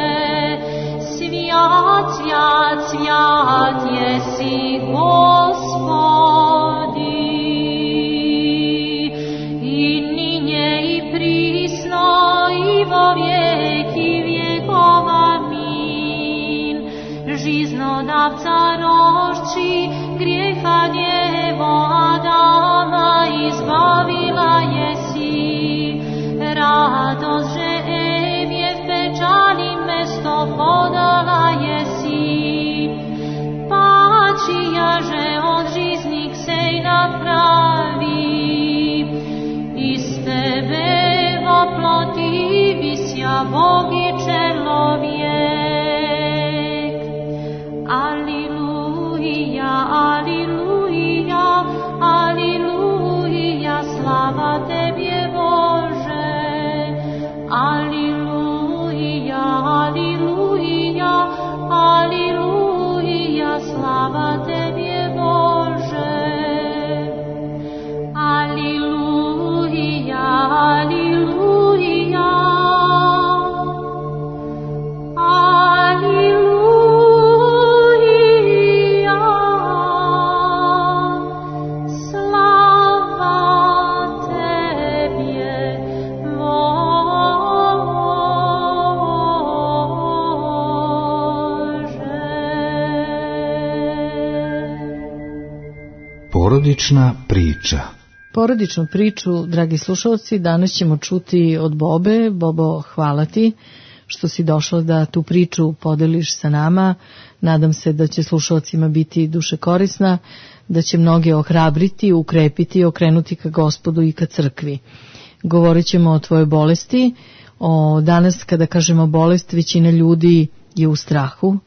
svjat, svjat, svjat jesi Gospodi, i ninje i prisno i vo vijeki vjekova min. Žiznodavca rošči, grijeha djevo Adama izbavila jesi, radost že Evje v pečali mesto podala jesi, pačija že od žiznik sej napravi, iz tebe Bog i čelovjek. Aliluja, aliluja, aliluja, slava Tebje Bože. Aliluja, aliluja, aliluja, slava Tebje Bože. Aliluja, aliluja, aliluja, slava Tebje Bože. Porodična priča. Porodičnu priču, dragi slušalci, danas ćemo čuti od Bobe. Bobo, hvala ti što si došla da tu priču podeliš sa nama. Nadam se da će slušalcima biti duše korisna, da će mnoge ohrabriti, ukrepiti i okrenuti ka Gospodu i ka crkvi. Govorit ćemo o tvojoj bolesti. Danas kada kažemo bolest, većina ljudi je u strahu.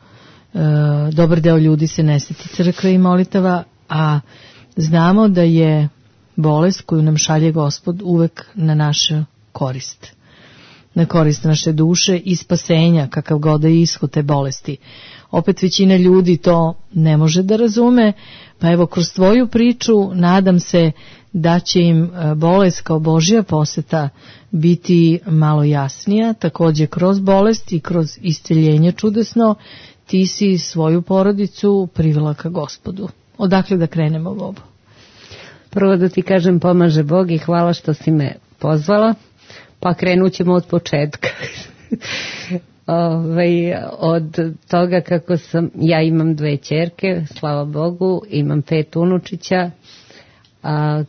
Dobar deo ljudi se ne sjeti crkve i molitava, a znamo da je bolest koju nam šalje Gospod uvek na našu korist. Na korist naše duše i spasenja, kakav god da je ishod te bolesti. Opet većina ljudi to ne može da razume, pa evo kroz tvoju priču nadam se da će im bolest kao Božja poseta biti malo jasnija. Također kroz bolest i kroz isceljenje čudesno ti si svoju porodicu privela ka Gospodu. Odakle da krenemo, Bobo? Prvo da ti kažem pomaže Bog i hvala što si me pozvala, pa krenut ćemo od početka. Od toga kako ja imam 2 ćerke, slava Bogu, imam 5 unučića.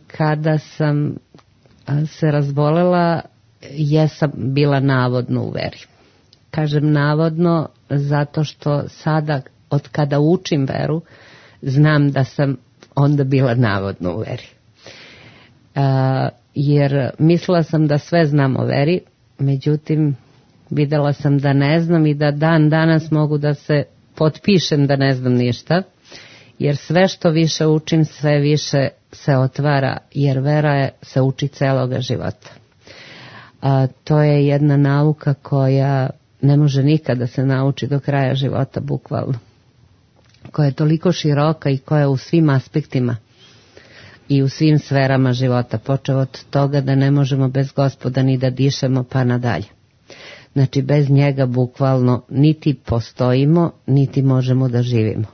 Kada sam se razbolela, jesam bila navodno u veri. Kažem navodno zato što sada, od kada učim veru, znam da sam onda bila navodno u veri. Jer mislila sam da sve znam o veri, međutim videla sam da ne znam i da dan danas mogu da se potpišem da ne znam ništa, jer sve što više učim, sve više se otvara, jer vera se uči celoga života. To je jedna nauka koja ne može nikada se nauči do kraja života, bukvalno. Koja je toliko široka i koja je u svim aspektima i u svim sferama života, počeo od toga da ne možemo bez Gospoda ni da dišemo pa nadalje. Znači bez njega bukvalno niti postojimo, niti možemo da živimo.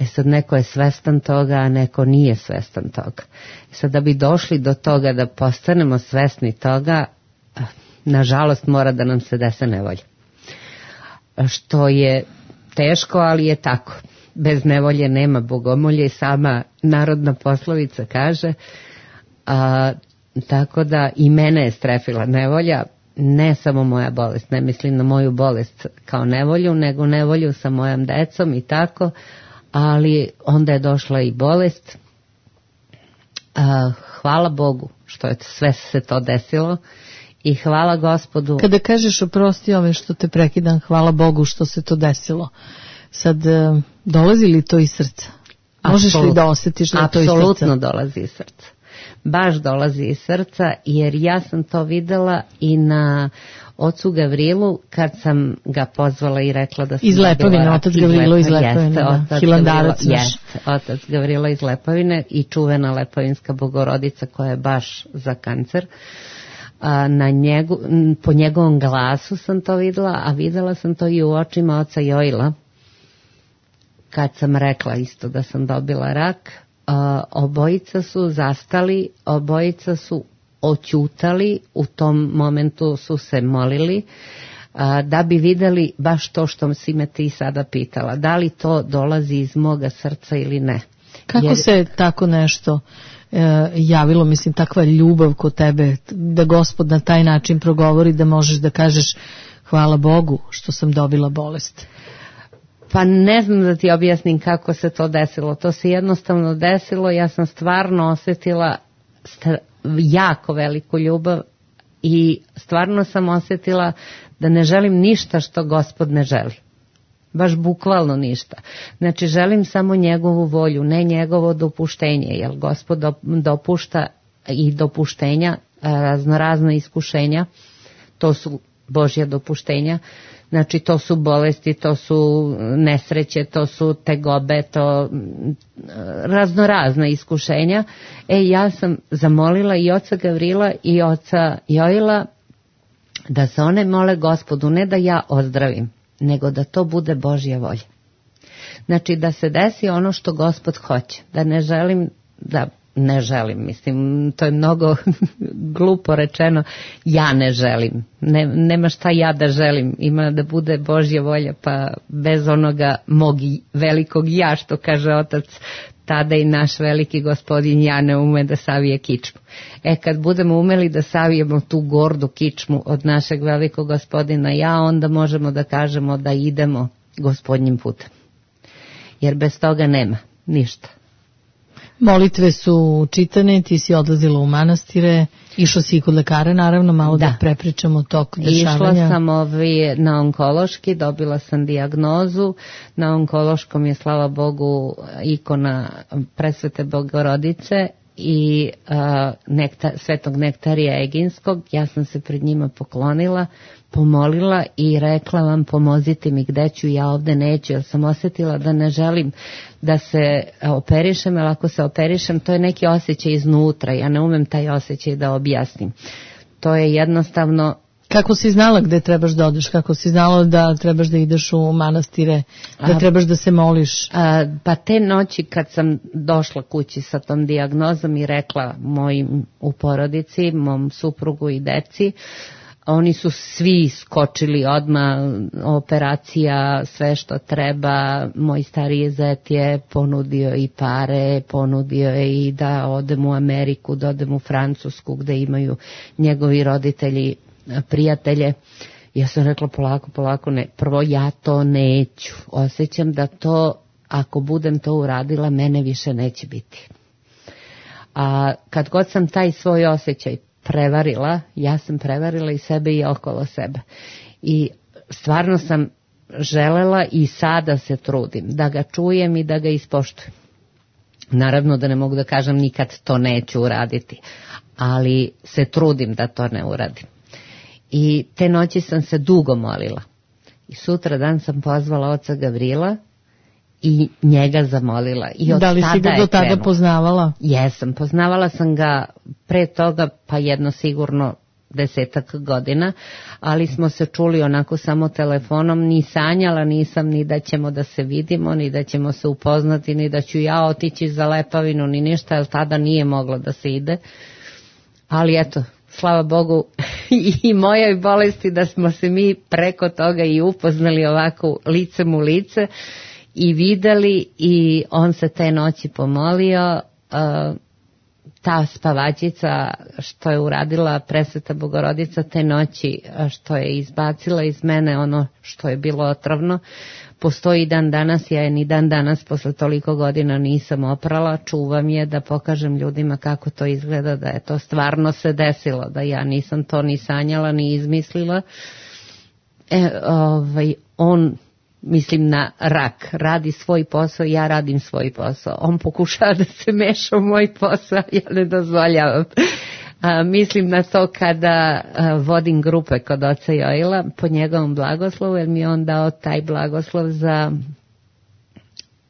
Sad neko je svestan toga, a neko nije svestan toga. Sad da bi došli do toga da postanemo svesni toga, nažalost mora da nam se dese nevolja. Što je teško, ali je tako. Bez nevolje nema bogomolje, sama narodna poslovica kaže. Tako da i mene je strefila nevolja, ne samo moja bolest, ne mislim na moju bolest kao nevolju, nego nevolju sa mojom decom i tako, ali onda je došla i bolest. Hvala Bogu što je sve se to desilo i hvala Gospodu. Kada kažeš oprosti ove što te prekidam, hvala Bogu što se to desilo, sad dolazi li to iz srca? Možeš li da osjetiš da to iz srca? Apsolutno dolazi iz srca. Baš dolazi iz srca, jer ja sam to videla i na ocu Gavrilu kad sam ga pozvala i rekla da sam iz Lepovine, otac Gavrilo iz Lepovine, Hilandarac naš. Jeste, otac Gavrilo iz Lepovine i čuvena Lepovinska Bogorodica koja je baš za kancer. Po njegovom glasu sam to videla, a videla sam to i u očima oca Joila kad sam rekla isto da sam dobila rak. Obojica su zastali, obojica su oćutali, u tom momentu su se molili da bi videli baš to što si me ti sada pitala, da li to dolazi iz moga srca ili ne. Kako se tako nešto javilo, mislim, takva ljubav kod tebe, da Gospod na taj način progovori, da možeš da kažeš hvala Bogu što sam dobila bolest? Pa ne znam da ti objasnim kako se to desilo. To se jednostavno desilo, ja sam stvarno osjetila jako veliku ljubav I stvarno sam osjetila da ne želim ništa što Gospod ne želi. Baš bukvalno ništa. Znači želim samo njegovu volju, ne njegovo dopuštenje, jer Gospod dopušta i dopuštenja, raznorazna iskušenja, to su Božja dopuštenja, znači to su bolesti, to su nesreće, to su tegobe, to raznorazna iskušenja. Ja sam zamolila i oca Gavrila i oca Joila da se one mole Gospodu, ne da ja ozdravim, nego da to bude Božja volja. Znači da se desi ono što Gospod hoće, da ne želim, mislim, to je mnogo glupo rečeno, ja ne želim, nema šta ja da želim, ima da bude Božja volja, pa bez onoga mog velikog ja, što kaže otac, tada i naš veliki gospodin ja ne ume da savije kičmu. Kad budemo umeli da savijemo tu gordu kičmu od našeg velikog gospodina ja, onda možemo da kažemo da idemo Gospodnjim putem. Jer bez toga nema ništa. Molitve su čitane, ti si odlazila u manastire, išla si i kod lekara, naravno, malo da prepričamo tok dešavanja. Išla sam na onkološki, dobila sam dijagnozu, na onkološkom je, slava Bogu, ikona Presvete Bogorodice i Svetog Nektarija Eginskog. Ja sam se pred njima poklonila, pomolila i rekla vam pomozite mi gde ću, ja ovde neću, jer sam osjetila da ne želim da se operišem, jer ako se operišem to je neki osjećaj iznutra, ja ne umem taj osjećaj da objasnim. To je jednostavno... Kako si znala gde trebaš da odeš, kako si znala da trebaš da ideš u manastire, da trebaš da se moliš? Pa te noći kad sam došla kući sa tom dijagnozom i rekla mojim u porodici, mom suprugu i deci, oni su svi skočili odmah, operacija, sve što treba. Moj stariji zet je ponudio i pare, ponudio je i da odem u Ameriku, da odem u Francusku gde imaju njegovi roditelji prijatelje. Ja sam rekla polako, ne. Prvo ja to neću. Osjećam da to, ako budem to uradila, mene više neće biti. A kad god sam taj svoj osjećaj prevarila, ja sam prevarila i sebe i okolo sebe. I stvarno sam želela i sada se trudim da ga čujem i da ga ispoštujem. Naravno da ne mogu da kažem nikad to neću uraditi, ali se trudim da to ne uradim. I te noći sam se dugo molila. I sutra dan sam pozvala oca Gavrila i njega zamolila. I od da li si ga do tada poznavala? Jesam, poznavala sam ga pre toga pa jedno sigurno 10 godina, ali smo se čuli onako samo telefonom, ni sanjala nisam ni da ćemo da se vidimo, ni da ćemo se upoznati, ni da ću ja otići za Lepavinu, ni ništa, jer tada nije moglo da se ide. Ali eto, slava Bogu i mojoj bolesti da smo se mi preko toga i upoznali ovako licem u lice i videli, i on se te noći pomolio. Ta spavačica što je uradila Presveta Bogorodica te noći, što je izbacila iz mene ono što je bilo otrovno, postoji dan danas, ja je ni dan danas posle toliko godina nisam oprala, čuvam je da pokažem ljudima kako to izgleda, da je to stvarno se desilo, da ja nisam to ni sanjala ni izmislila. On, mislim na rak, radi svoj posao, ja radim svoj posao. On pokušava da se meša u moj posao, ja ne dozvoljavam. Mislim na to kada vodim grupe kod oca Joila po njegovom blagoslovu, jer mi je on dao taj blagoslov za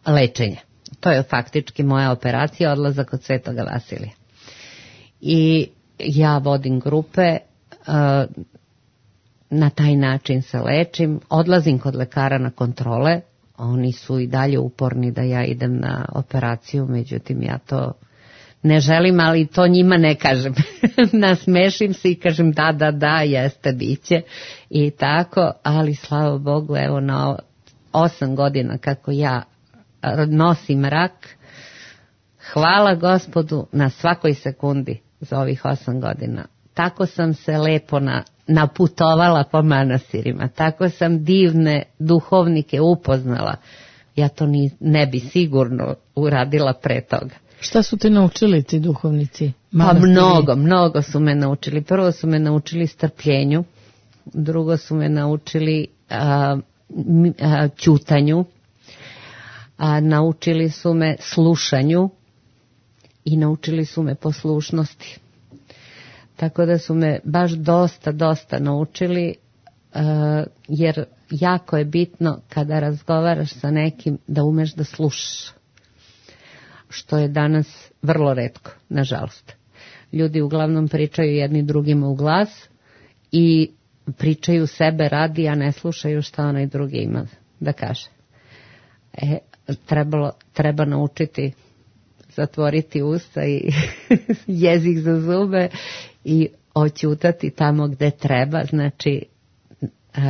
lečenje. To je faktički moja operacija, odlazak od Svetoga Vasilija. I ja vodim grupe, na taj način se lečim, odlazim kod lekara na kontrole, oni su i dalje uporni da ja idem na operaciju, međutim ja to ne želim, ali to njima ne kažem. Nasmešim se i kažem da, jeste, biće i tako, ali slava Bogu, evo na 8 godina kako ja nosim rak, hvala Gospodu na svakoj sekundi za ovih 8 godina. Tako sam se lepo naputovala po manastirima, tako sam divne duhovnike upoznala. Ja to ne bi sigurno uradila pre toga. Šta su te naučili ti duhovnici? Pa mnogo su me naučili. Prvo su me naučili strpljenju, drugo su me naučili ćutanju, naučili su me slušanju i naučili su me poslušnosti. Tako da su me baš dosta naučili, jer jako je bitno kada razgovaraš sa nekim da umeš da slušaš, što je danas vrlo retko, nažalost. Ljudi uglavnom pričaju jedni drugima u glas i pričaju sebe radi, a ne slušaju šta onaj drugi ima da kaže. Treba naučiti zatvoriti usta i jezik za zube i oćutati tamo gde treba. Znači,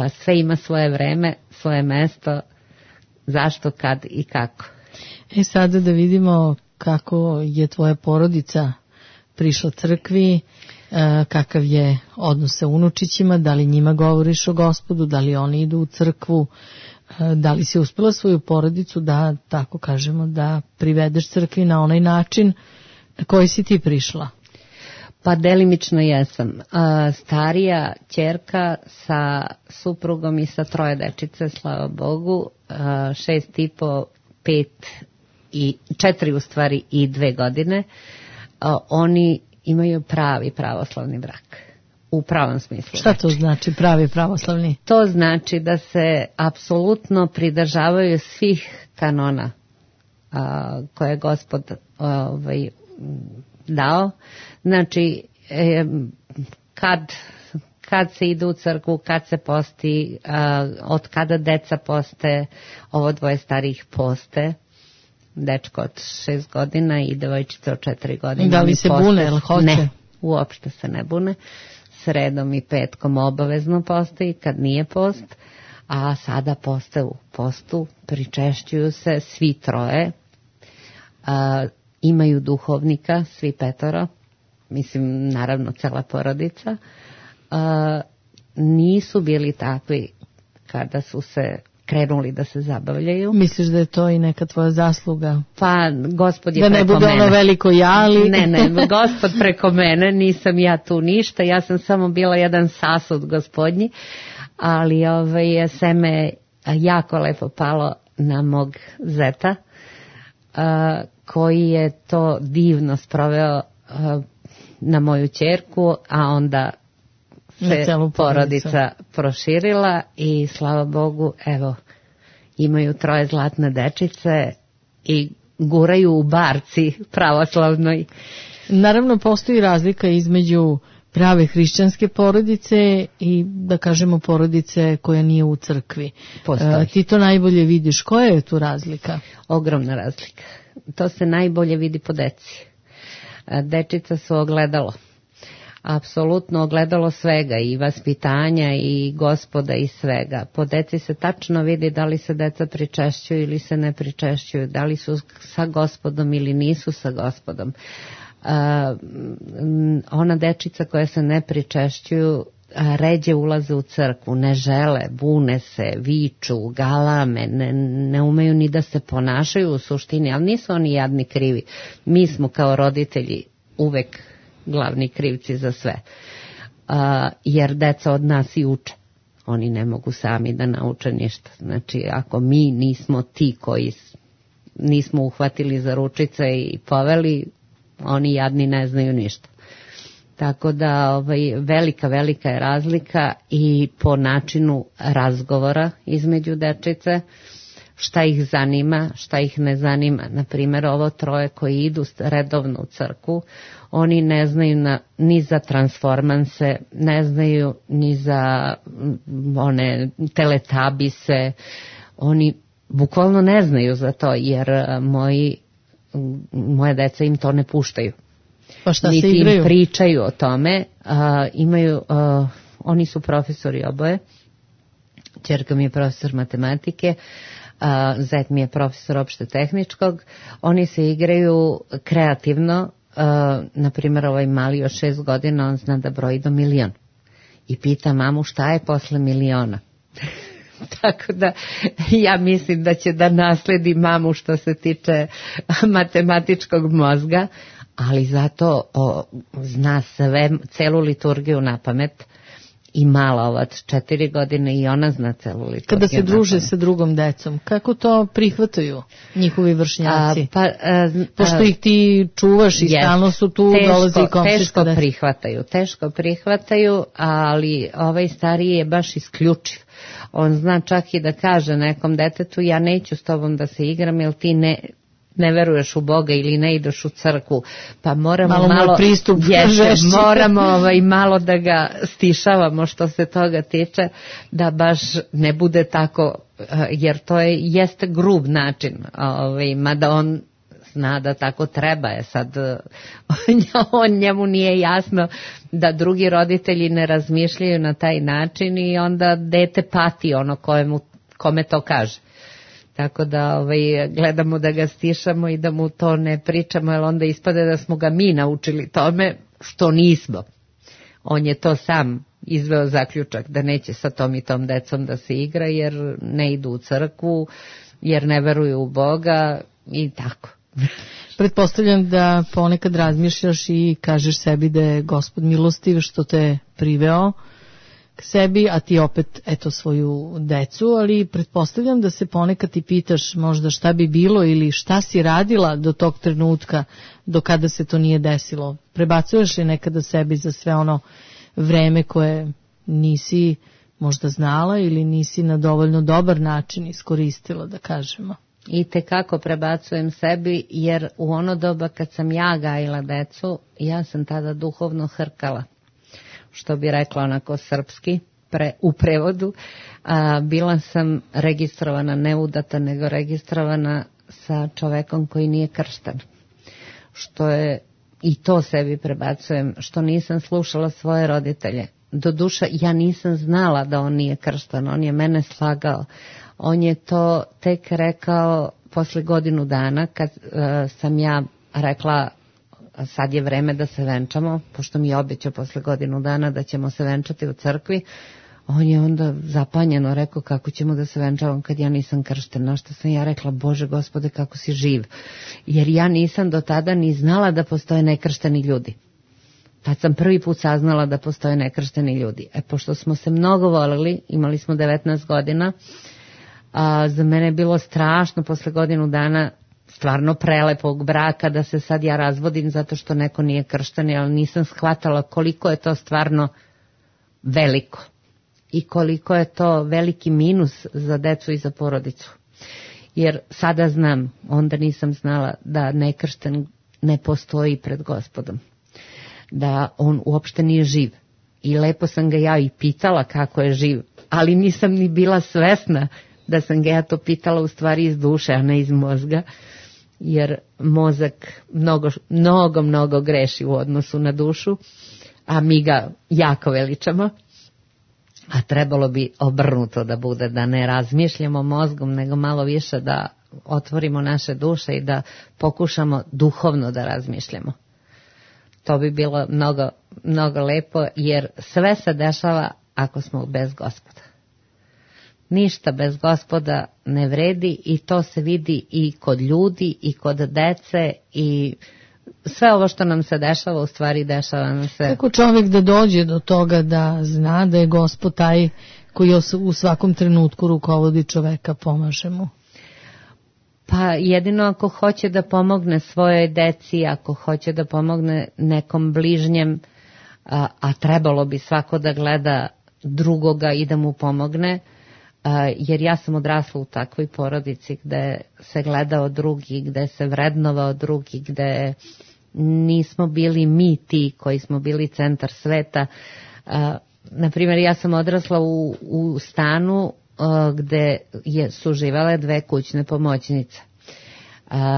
sve ima svoje vreme, svoje mesto, zašto, kad i kako. Sada da vidimo kako je tvoja porodica prišla crkvi, kakav je odnos sa unučićima, da li njima govoriš o Gospodu, da li oni idu u crkvu, da li si uspela svoju porodicu da, tako kažemo, da privedeš crkvi na onaj način na koji si ti prišla? Pa delimično jesam. Starija ćerka sa suprugom i sa 3 dečice, slava Bogu, 6,5, 5 i 4 u stvari i 2 godine, oni imaju pravi pravoslavni brak. U pravom smislu. Šta to znači pravi pravoslavni? To znači da se apsolutno pridržavaju svih kanona koje je Gospod dao. Znači, kad se ide u crkvu, kad se posti, od kada deca poste, ovo 2 starijih poste, dečko od 6 godina i devojčica od 4 godine. Da li se bune, ili hoće? Ne, uopšte se ne bune. Sredom i petkom obavezno postoji kad nije post, a sada poste u postu, pričešćuju se svi 3, imaju duhovnika, svi 5, mislim naravno cela porodica, nisu bili takvi kada su se krenuli da se zabavljaju. Misliš da je to i neka tvoja zasluga? Pa Gospod je preko mene. Da ne bude ono veliko jali? Ne, Gospod preko mene, nisam ja tu ništa, ja sam samo bila jedan sasud Gospodnji, ali seme jako lepo palo na mog zeta, koji je to divno sproveo na moju ćerku, a onda se porodica proširila i slava Bogu, evo, imaju 3 zlatne dečice i guraju u barci pravoslavnoj. Naravno, postoji razlika između prave hrišćanske porodice i, da kažemo, porodice koja nije u crkvi. Ti to najbolje vidiš. Koja je tu razlika? Ogromna razlika. To se najbolje vidi po deci. Dečica su ogledalo. Apsolutno ogledalo svega, i vaspitanja i Gospoda i svega. Po deci se tačno vidi da li se deca pričešćuju ili se ne pričešćuju, da li su sa Gospodom ili nisu sa Gospodom. Ona dečica koja se ne pričešćuju ređe ulaze u crkvu, ne žele, bune se, viču, galame, ne umeju ni da se ponašaju u suštini, ali nisu oni jadni krivi. Mi smo kao roditelji uvek glavni krivci za sve, jer deca od nas i uče. Oni ne mogu sami da nauče ništa. Znači, ako mi nismo ti koji nismo uhvatili za ručice i poveli, oni jadni ne znaju ništa. Tako da velika je razlika i po načinu razgovora između dečice, šta ih zanima, šta ih ne zanima. Naprimjer, ovo 3 koji idu redovno u crkvu, oni ne znaju ni za transformanse, ne znaju ni za one teletabise, oni bukvalno ne znaju za to, jer moje deca im to ne puštaju. Pa šta niti se igraju? Im pričaju o tome. Oni su profesori oboje. Ćerka mi je profesor matematike, zet mi je profesor opšte tehničkog. Oni se igraju kreativno. Na primjer, ovaj mali od 6 godina, on zna da broji do 1.000.000 i pita mamu šta je posle 1.000.000. Tako da ja mislim da će da nasledi mamu što se tiče matematičkog mozga, ali zato zna sve, celu liturgiju na pamet. I mala ovac 4 godine i ona zna celu liturgiju. Kada se druže sa drugom decom, kako to prihvataju njihovi vršnjaci? Pošto ih ti čuvaš i stalno su tu, dolazi komšijska deca. Teško prihvataju, ali ovaj stariji je baš isključiv. On zna čak i da kaže nekom detetu, ja neću s tobom da se igram, jer ti ne veruješ u Boga ili ne ideš u crkvu, pa moramo malo pristup moramo malo da ga stišavamo što se toga tiče, da baš ne bude tako, jer to jeste grub način, mada on zna da tako treba je. Sad njemu nije jasno da drugi roditelji ne razmišljaju na taj način i onda dete pati ono kome to kaže. Tako da gledamo da ga stišamo i da mu to ne pričamo, jer onda ispade da smo ga mi naučili tome, što nismo. On je to sam izveo zaključak da neće sa tom i tom decom da se igra, jer ne idu u crkvu, jer ne veruju u Boga i tako. Pretpostavljam da ponekad razmišljaš i kažeš sebi da je Gospod milostiv što te priveo k sebi, a ti opet svoju decu, ali pretpostavljam da se ponekad i pitaš možda šta bi bilo ili šta si radila do tog trenutka do kada se to nije desilo. Prebacuješ li nekada sebi za sve ono vreme koje nisi možda znala ili nisi na dovoljno dobar način iskoristila, da kažemo? I tekako prebacujem sebi, jer u ono doba kad sam ja gajila decu, ja sam tada duhovno hrkala. Što bi rekla onako srpski u prevodu, bila sam registrovana, ne udata, nego registrovana sa čovekom koji nije kršten. Što je, i to sebi prebacujem, što nisam slušala svoje roditelje. Doduše, ja nisam znala da on nije kršten, on je mene slagao. On je to tek rekao posle godinu dana, kad sam ja rekla, sad je vreme da se venčamo, pošto mi je obećao posle godinu dana da ćemo se venčati u crkvi. On je onda zapanjeno rekao, kako ćemo da se venčavamo kad ja nisam kršten. Na što sam ja rekla, Bože Gospode, kako si živ. Jer ja nisam do tada ni znala da postoje nekršteni ljudi. Tad sam prvi put saznala da postoje nekršteni ljudi. Pošto smo se mnogo volili, imali smo 19 godina, za mene je bilo strašno posle godinu dana stvarno prelepog braka da se sad ja razvodim zato što neko nije kršten, ali nisam shvatala koliko je to stvarno veliko i koliko je to veliki minus za decu i za porodicu. Jer sada znam, onda nisam znala da nekršten ne postoji pred Gospodom, da on uopšte nije živ. I lepo sam ga ja i pitala kako je živ, ali nisam ni bila svesna da sam ga ja to pitala u stvari iz duše, a ne iz mozga, jer mozak mnogo greši u odnosu na dušu, a mi ga jako veličamo, a trebalo bi obrnuto da bude, da ne razmišljamo mozgom, nego malo više da otvorimo naše duše i da pokušamo duhovno da razmišljamo. To bi bilo mnogo lepo, jer sve se dešava ako smo bez Gospoda. Ništa bez Gospoda ne vredi i to se vidi i kod ljudi i kod dece i sve ovo što nam se dešava, u stvari dešava nam se. Kako čovjek da dođe do toga da zna da je Gospod taj koji u svakom trenutku rukovodi čoveka, pomaže mu? Pa jedino ako hoće da pomogne svojoj deci, ako hoće da pomogne nekom bližnjem, a trebalo bi svako da gleda drugoga i da mu pomogne, jer ja sam odrasla u takvoj porodici gde se gledao drugi, gde se vrednovao drugi, gde nismo bili mi ti koji smo bili centar sveta. Naprimjer, ja sam odrasla u stanu gde su živele 2 kućne pomoćnice.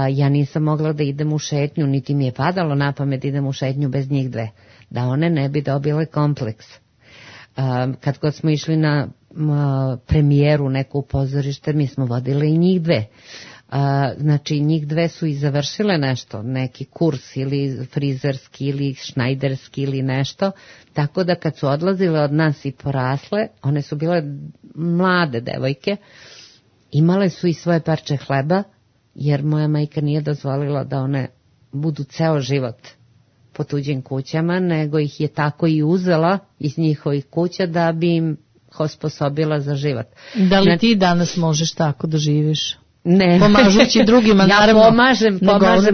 Ja nisam mogla da idem u šetnju, niti mi je padalo na pamet da idem u šetnju bez njih 2, da one ne bi dobile kompleks. Kad god smo išli na premijeru neku pozorište, mi smo vodile i njih 2. Znači njih 2 su i završile nešto, neki kurs ili frizerski ili šnajderski ili nešto, tako da kad su odlazile od nas i porasle, one su bile mlade devojke, imale su i svoje parče hleba, jer moja majka nije dozvolila da one budu ceo život po tuđim kućama, nego ih je tako i uzela iz njihovih kuća da bi im osposobila za život. Da li ti danas možeš tako da živiš? Ne. Pomažući drugima, naravno. Ja pomažem,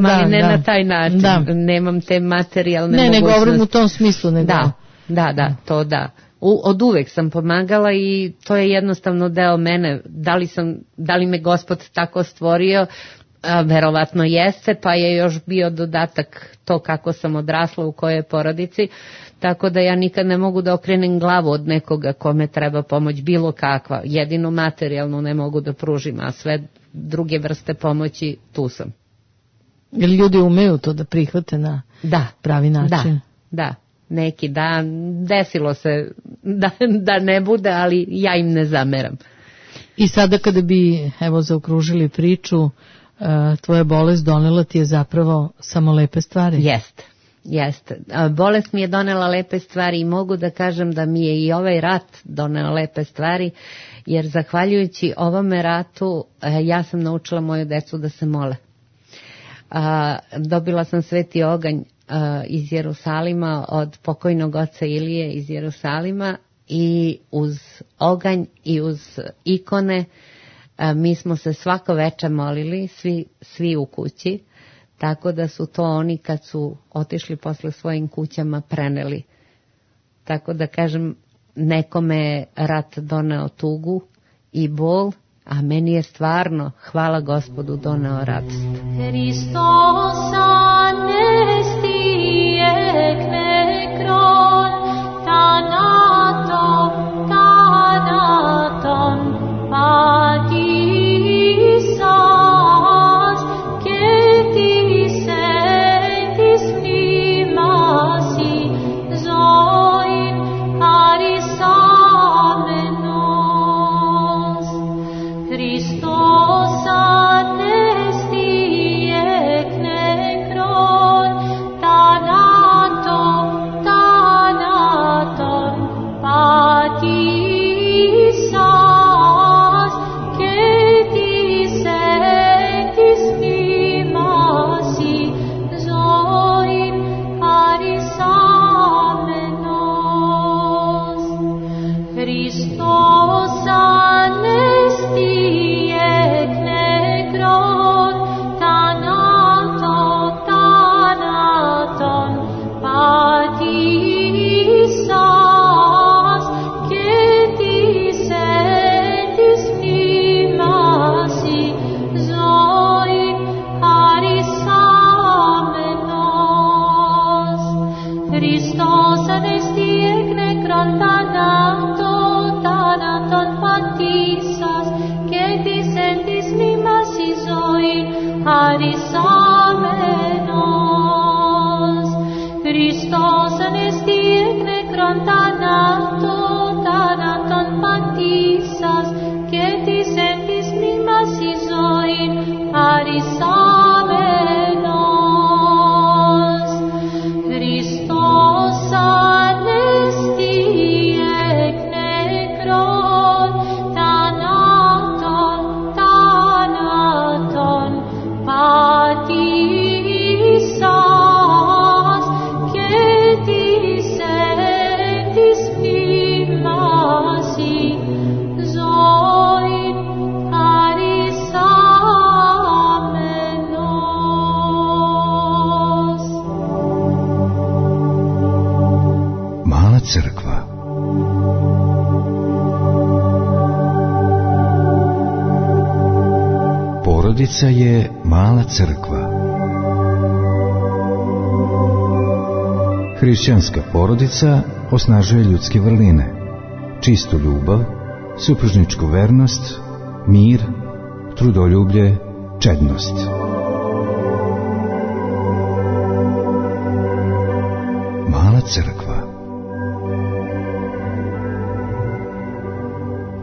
ali ne na taj način. Da. Nemam te materijalne mogućnosti. Ne govorim u tom smislu. Da, to da. Od uvek sam pomagala i to je jednostavno deo mene. Da li me Gospod tako stvorio? Verovatno jeste, pa je još bio dodatak to kako sam odrasla u kojoj porodici, tako da ja nikad ne mogu da okrenem glavu od nekoga kome treba pomoć, bilo kakva, jedino materijalno ne mogu da pružim, a sve druge vrste pomoći tu sam. Jer ljudi umeju to da prihvate na pravi način? Da. Neki dan desilo se da ne bude, ali ja im ne zameram. I sada kada bi zaokružili priču, tvoja bolest donela ti je zapravo samo lepe stvari? Jeste. Bolest mi je donela lepe stvari i mogu da kažem da mi je i ovaj rat doneo lepe stvari, jer zahvaljujući ovome ratu ja sam naučila moju decu da se mole. Dobila sam sveti oganj iz Jerusalima od pokojnog oca Ilije iz Jerusalima i uz oganj i uz ikone mi smo se svako veče molili, svi u kući, tako da su to oni kad su otišli posle svojim kućama preneli. Tako da kažem, nekome je rat doneo tugu i bol, a meni je stvarno, hvala Gospodu, doneo radost. Hristos anesti ek nekron, thanaton patisas, και της έντης μνήμαση ζωήν χαρισάμενος. Χριστός ανέστη εκ νεκρών, θανάτων πατήσας, και της έντης μνήμαση ζωήν χαρισάμενος. Χριστός ανέστη εκ νεκρών, θανάτων πατήσας, και της έντης μνήμαση ζωήν χαρισάμενος. Χριστός ανέστη εκ νεκρών, θανάτων πατήσας, και της έντης μνήμαση ζωήν χαρισάμενος. Χριστός ανέστη εκ νεκρών, θανάτων πατήσας, και της έντης μνήμαση ζωήν χαρισάμενος. Χριστός ανέστη εκ νεκρών, θανάτων πατήσας, και της έντης μνήμαση ζωήν χαρισάμενος. Mala crkva. Porodica je mala crkva. Hrišćanska porodica osnažuje ljudske vrline, čistu ljubav, supružničku vernost, mir, trudoljublje, čednost. Mala crkva.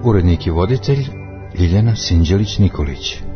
Urednik i voditelj Ljiljana Sinđelić-Nikolić.